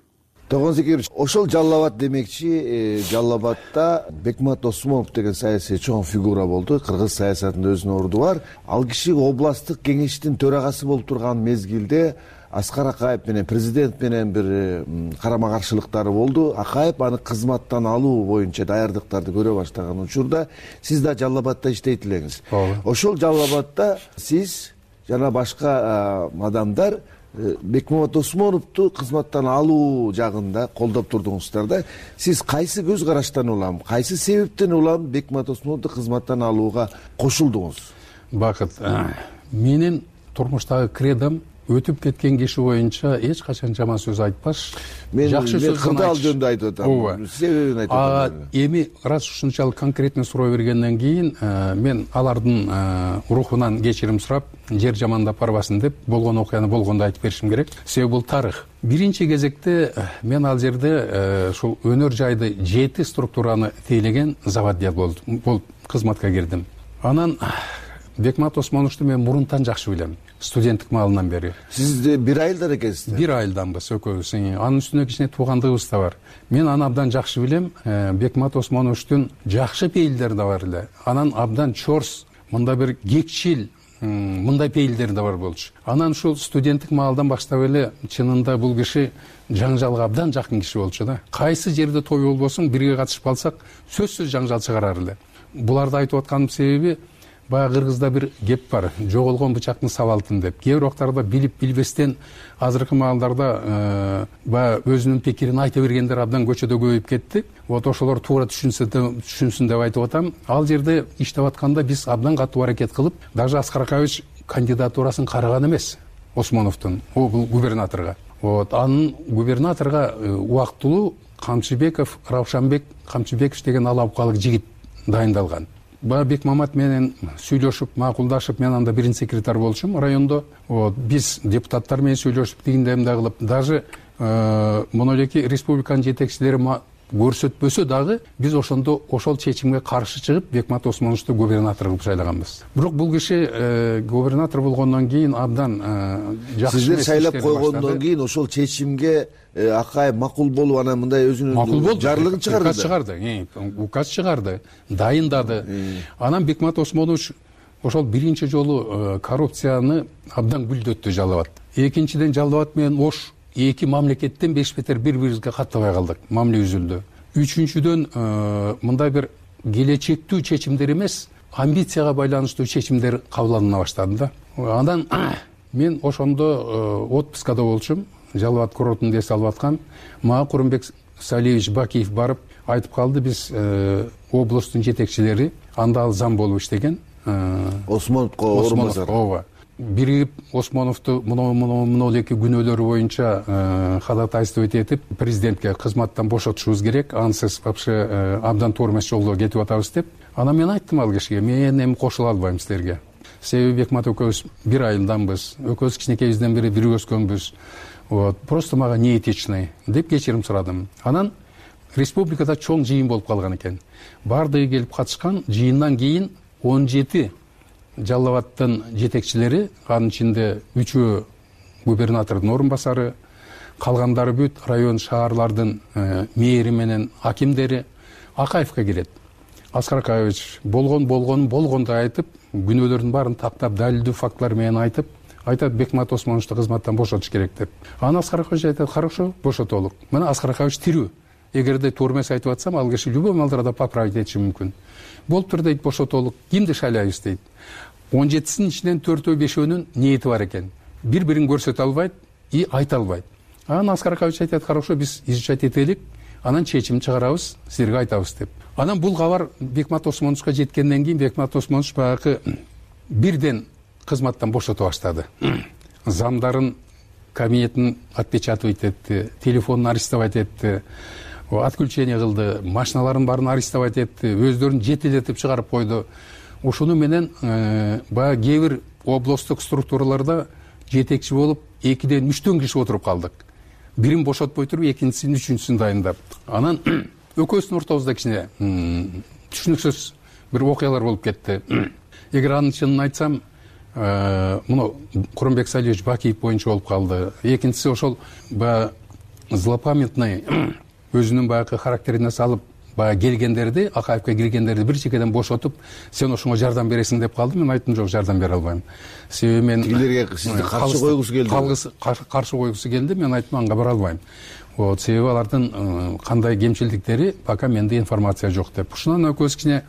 Тогон Зекирович, ошол Жалал Абад демекчи, Жалал Абадда Бекмамбет Осмонов деген саясий чоң фигура болду. Кыргыз саясатында өзүнүн орду бар. Ал киши областтык кеңештин төрагасы болуп турган мезгилде Аскар Акаев менен президент менен бир карама каршылыктары болду. Акаев аны кызматтан алуу боюнча даярдыктарды көрө баштаган учурда сиз да Жалал Абадда иштейт элеңиз. Ошол Жалал Абадда сиз жана башка адамдар Бекмамбет Осмоновду кызматтан алуу жагында колдоп турдуңуздар да. Сиз кайсы көз караштан улам, кайсы себептен улам Бекмамбет Осмоновду кызматтан алууга кошулдуңуз? Бакыт, менин турмуштагы кредом өтүп кеткен киши боюнча эч качан жаман сөз айтпаш. Жакшы сөз кырдаал жөнүндө айтып атам. Себебин айтып атам. Эми раз ушунчалык конкретный суроо бергенден кийин мен алардын рухунан кечирим сурап, жер жамандап барбасын деп болгон окуяны болгондо айтып беришим керек. Себеби бул тарых. Биринчи кезекте мен ал жерде ушул өнөр жайды 7 структураны тейлеген заводия болуп кызматка кирдим. Анан Бекмамбет Осмоновду мен мурунтан жакшы билем. Студенттик маалынан бери. Сиз бир айылдан экенсиз? Бир айылданбыз экөөбүз. Анын үстүнө кичине туугандыгыбыз да бар. Мен аны абдан жакшы билем. Бекмамбет Осмоновдун жакшы пейилдери да бар эле. Анан абдан чорс, мында бир кекчил, мындай пейилдери да бар болчу. Анан ушул студенттик маалдан баштап эле чынында бул киши жаңжалга абдан жакын киши болчу да. Кайсы жерде той болбосун бирге катышып калсак сөзсүз жаңжал чыгарар эле. Буларды айтып атканым себеби баягы кыргызда бир кеп бар, жоголгон бычактын сабалтын деп. Кээ бир убактарда билип билбестен азыркы маалдарда баягы өзүнүн пикирин айта бергендер абдан көчөдө көбөйүп кетти. Вот ошолор туура түшүнсүн деп айтып атам. Ал жерде иштеп атканда биз абдан катуу аракет кылып, даже Аскар Акаевич кандидатурасын караган эмес Осмоновдун, бул губернаторго. Вот анын губернаторго убактылуу Камчыбеков, Раушанбек Камчыбеков деген алапкалык жигит дайындалган. Бекмамат менен сүйлөшүп, макулдашып, мен анда биринчи секретарь болчумун райондо. Вот биз депутаттар менен сүйлөшүп, тигиндей мындай кылып, даже монолеки республиканын жетекчилери көрсөтпөсө дагы биз ошондо ошол чечимге каршы чыгып Бекмамат Осмоновду губернатор кылып шайлаганбыз. Бирок бул киши губернатор болгондон кийин абдан жакшы. Сиздер шайлап койгондон кийин ошол чечимге Акаев макул болуп анан мындай өзүнүн жарлыгын чыгарды. Указ чыгарды, дайындады. Анан Бекмамат Осмонович ошол биринчи жолу коррупцияны абдан гүлдөттү Жалал Абад. Экинчиден Жалал Абад менен Ош эки мамлекеттен беш-бетер бири-бирибизге каттабай калдык. Мамиле үзүлдү. Үчүнчүдөн мындай бир келечектүү чечимдер эмес, амбицияга байланыштуу чечимдер кабыл алына баштады да. Андан мен ошондо отпускада болчумун. Жалал Абад курортунда эс алып аткам. Мага Курманбек Салиевич Бакиев барып айтып калды, биз областтын жетекчилери анда ал зам болуп иштеген. Осмоновго орунбасар. Биригип Осмоновду монолеки күнөөлөрү боюнча ходатайствовать этип президентке кызматтан бошотушубуз керек, ансыз вообще абдан туура эмес жолдо кетип атабыз деп. Анан мен айттым ал кишиге, мен эми кошула албайм силерге. Себеби Бекмамат экөөбүз бир айылданбыз, экөөбүз кичинекейибизден бери бирге өскөнбүз. Вот, просто мага неэтичный деп кечирим сурадым. Анан республикада чоң жыйын болуп калган экен. Бардыгы келип катышкан. Жыйындан кийин 17 Жалал Абадтын жетекчилери, анын ичинде 3 губернатордун орун басары, калгандары бүт район шаарлардын мэри менен акимдери Акаевге келет. Аскар Акаевич болгондой айтып, күнөөлөрдүн баарын тактап, далилдүү фактылар менен айтат Бекмамат Осмоновду кызматтан бошотуш керек деп. Аны Аскар Акаевич айтат, хорошо, бошотолук. Мына Аскар Акаевич тирүү. Эгерде туура эмес айтып атсам, ал киши любой маалдарда поправить этиши мүмкүн. Болуптур дейт, бошотолук. Кимди шайлайбыз дейт. 17-синин ичинен 4-5-өнүн ниети бар экен. Бири-бирин көрсөтө албайт и айта албайт. Анан Аскар Акаевич айтат, хорошо, биз изучать этелик, анан чечим чыгарабыз, силерге айтабыз деп. Анан бул кабар Бекмамат Осмоновго жеткенден кийин Бекмамат Осмонович баягы бирден кызматтан бошото баштады. Замдарын кабинетин отпечатывать этти, телефонун арестовать этти, отключение кылды, машиналарын баарын арестовать этти, өздөрүн жетелетип чыгарып койду. Ушуну менен баягы кээ бир областтык структураларда жетекчи болуп 2-ден 3 киши отуруп калдык. Бирин бошотпой туруп, экинчисин, үчүнчүсүн дайындап. Анан экөөбүздүн ортобузда кичине түшүнүксүз бир окуялар болуп кетти. Эгер анын чынын айтсам, муну Курманбек Салиевич Бакиев боюнча болуп калды. Экинчиси ошол баягы злопамятный өзүнүн баягы характерине салып баягы келгендерди, Акаевге киргендерди бир чекеден бошотуп, сен ошонго жардам бересиң деп калды. Мен айттым, жок, жардам бере албайм. Себеби мен тигилерге сизди каршы койгусу келди. Каршы койгусу келди. Мен айттым, анга бара албайм. Вот, себеби алардын кандай кемчилдиктери пока менде информация жок деп. Ушунан экөөбүз кичине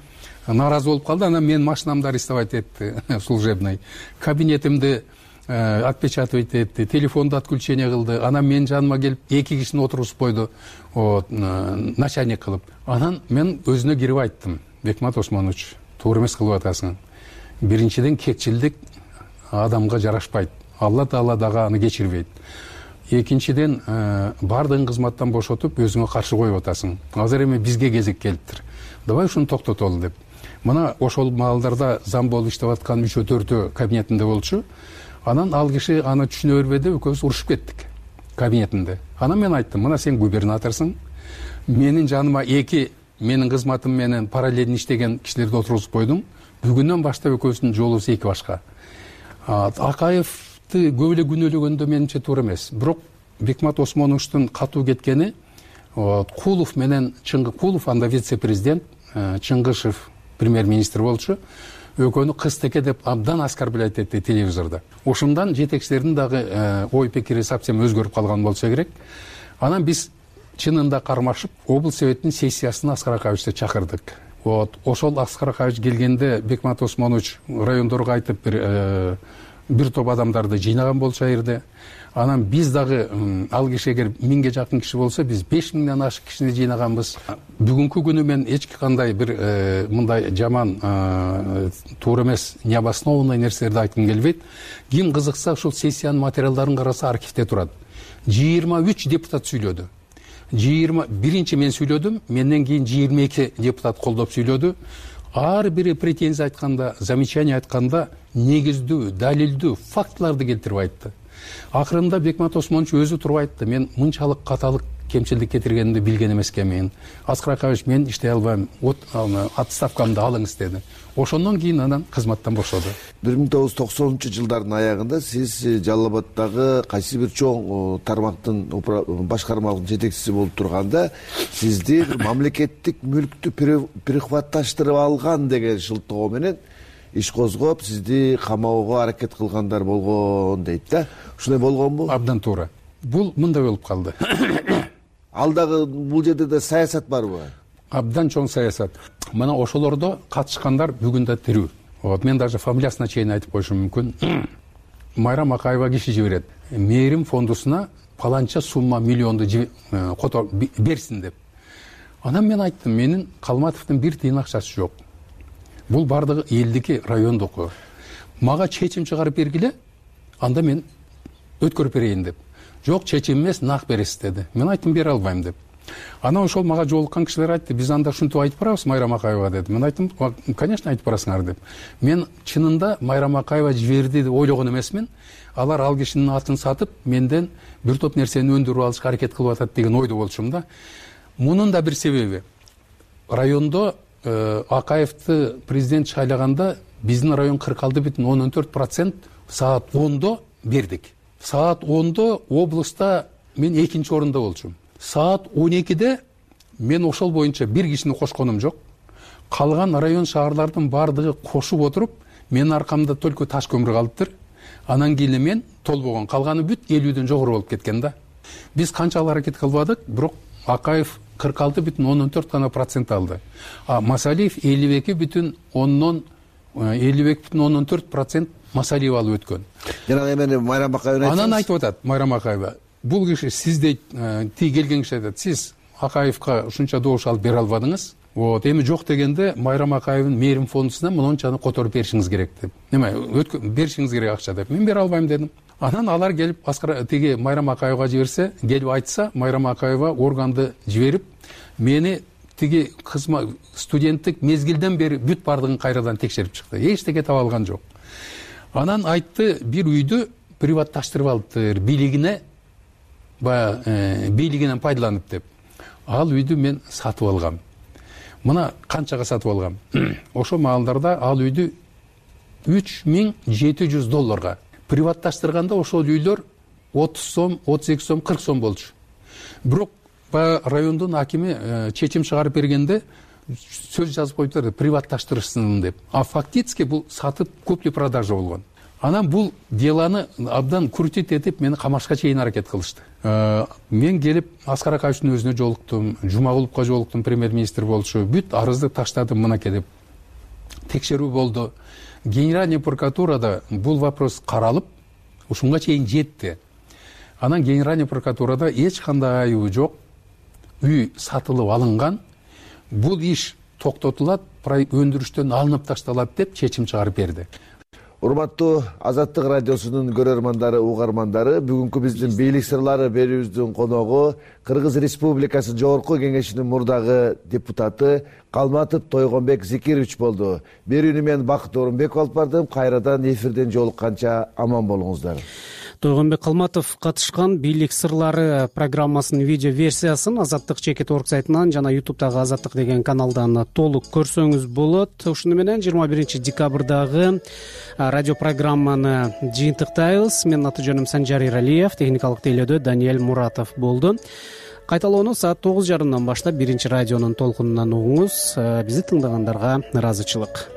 наразы болуп калды. Анан мен машинамды арестовать этти, служебный. Кабинетимди отпечатывать этти, телефонду отключение кылды. Анан мен жаныма келип 2 кишини отургузуп койду, начальник кылып. Анан мен өзүнө кирип айттым, Бекмамат Осмонович, туура эмес кылып атасың. Биринчиден кекчилдик адамга жарашпайт. Алла Таала дагы аны кечирбейт. Экинчиден бардыгын кызматтан бошотуп, өзүңө каршы коюп атасың. Азыр эми бизге кезек келиптир. Давай ушуну токтотолу деп. Мына ошол маалдарда зам болуп иштеп аткан 3-4 кабинетинде болчу. Анан ал киши аны түшүнө бербеди, экөөбүз урушуп кеттик кабинетинде. Анан мен айттым, мына сен губернаторсуң. Менин жаныма 2 менин кызматым менен параллельно иштеген кишилерди отургузуп койдуң. Бүгүндөн баштап экөөбүздүн жолубуз 2 башка. Акаевди көп эле күнөөлөгөндө менимче туура эмес. Бирок Бекмамат Осмоновдун катуу кеткени Кулов менен Кулов анда вице-президент, Чыңгышев премьер-министр болчу. Экөөнү кыз-теке деп абдан оскорблять этти телевизордо. Ошондан жетекчилердин дагы ой пикири совсем өзгөрүп калган болсо керек. Анан биз чынында кармашып облус советинин сессиясына Аскар Акаевичти чакырдык. Вот ошол Аскар Акаевич келгенде Бекмат Осмонович райондорго айтып бир топ адамдарды жыйнаган болчу ал жерде. Анан биз дагы ал киши эгер 1000ге жакын киши болсо, биз 5000ден ашык кишини жыйнаганбыз. Бүгүнкү күнү мен эч кандай бир мындай жаман туура эмес, необоснованный нерселерди айткым келбейт. Ким кызыкса ушул сессиянын материалдарын караса архивде турат. 23 депутат сүйлөдү. 21 мен сүйлөдүм, менден кийин 22 депутат колдоп сүйлөдү. Ар бири претензия айтканда, замечание айтканда негиздүү, далилдүү фактыларды келтирип айтты. Акырында Бекмат Осмонович өзү туруп айтты: мен мынчалык каталык кемчилдик кетиргенимди билген эмес экенмин. Аскар Акаевич, мен иштей албайм, отставкамды алыңыз деди. Ошондон кийин анан кызматтан бошоду. 1990-жылдардын аягында сиз Жалал Абаддагы кайсы бир чоң тармактын башкармалык жетекчиси болуп турганда, сизди мамлекеттик мүлктү прихватташтырып алган деген шылтоо менен иш козгоп, сизди камоого аракет кылгандар болгон дейт да. Ушундай болгонбу? Абдан туура. Бул мындай болуп калды. Ал дагы бул жерде да саясат барбы? Абдан чоң саясат. Мына ошолордо катышкандар бүгүн да тирүү. Вот мен даже фамилиясына чейин айтып коюшум мүмкүн. Майрам Акаева киши жиберет. Мээрим фондусуна паланча сумма миллионду берсин деп. Анан мен айттым, менин Калматовдун бир тыйын акчасы жок. Бул бардыгы элдики, райондуку. Мага чечим чыгарып бергиле, анда мен өткөрүп берейин деп. Жок, чечим эмес, нак бересиз деди. Мен айттым, бере албайм деп. Анан ошол мага жолуккан кишилер айтты: биз анда ушинтип айтып барабыз Майрам Акаева деди. Мен айттым, конечно айтып барасыңар деп. Мен чынында Майрам Акаева жиберди деп ойлогон эмесмин. Алар ал кишинин атын сатып, менден бир топ нерсени өндүрүп алышка аракет кылып атат деген ойдо болчумун да. Мунун да бир себеби. Райондо Акаевди президент шайлаганда биздин район 46,14% саат 10-до бердик. Саат 10-до облуста мен 2-нчи орунда болчумун. Саат 12-де мен ошол боюнча бир кишини кошконум жок. Калган район шаарлардын бардыгы кошуп отуруп, менин аркамда только таш көмүр калыптыр. Анан кийин мен толбогон, калганы бүт 50ден жогору болуп кеткен да. Биз канчалык аракет кылбадык, бирок Акаев 46,14 гана процент алды. Масалиев 52,14% Масалиев алып өткөн. Жана эми Майрам Акаева анан айтып атат Майрам Акаева: бул киши сиздей ти келген киши айтат, сиз Акаевка ушунча добуш алып бере албадыңыз. Вот эми жок дегенде Майрам Акаевдин мээрим фондусуна мынчаны которуп беришиңиз керек деп. Неме беришиңиз керек акча деп. Мен бере албайм дедим. Анан алар келип тиги Майрам Акаевга жиберсе, келип айтса, Майрам Акаева органды жиберип, мени тиги студенттик мезгилден бери бүт бардыгын кайрадан текшерип чыкты. Эчтеке таба алган жок. Анан айтты, бир үйдү приватташтырып алыптыр, бийлигинен пайдаланып деп. Ал үйдү мен сатып алгам. Мына канчага сатып алгам? Ошол маалдарда ал үйдү $3700. Приватташтырганда ошол үйлөр 30 сом, 32 сом, 40 сом болчу. Бирок райондун акими чечим чыгарып бергенде сөз жазып коюптур, приватташтырышсын деп. А фактически бул сатып купли-продажа болгон. Анан бул деланы абдан крутить этип мени камашка чейин аракет кылышты. Мен келип Аскар Акаевичтин өзүнө жолуктум, Жумагуловго жолуктум, премьер-министр болчу. Бүт арызды таштадым мынакей деп. Текшерүү болду. Генеральный прокуратурада бул вопрос каралып, ушунга чейин жетти. Анан Генеральный прокуратурада эч кандай айыбы жок. Үй сатылып алынган. Бул иш токтотулат, өндүрүштөн алынып ташталат деп чечим чыгарып берди. Урматтуу Азаттык радиосунун көрөрмандары, угармандары, бүгүнкү биздин бийлик сырлары берүүбүздүн коногу Кыргыз Республикасы Жогорку Кеңешинин мурдагы депутаты Калматов Тойгонбек Зикирович болду. Берүүнү мен Бакыт Орунбеков алып бардым. Кайрадан эфирден жолукканча аман болуңуздар. Тойгонбек Калматов катышкан бийлик сырлары программасынын видео версиясын Азаттык чекит орг сайтынан жана YouTube'дагы Азаттык деген каналдан толук көрсөңүз болот. Ушуну менен 21 декабрдагы радио программаны жыйынтыктайбыз. Менин аты жөнүм Санжар Иралиев, техникалык тейлөөдө Даниэль Муратов болду. Кайталоону саат 9:30 баштап 1 радионун толкунунан угуңуз. Бизди тыңдагандарга ыраазычылык.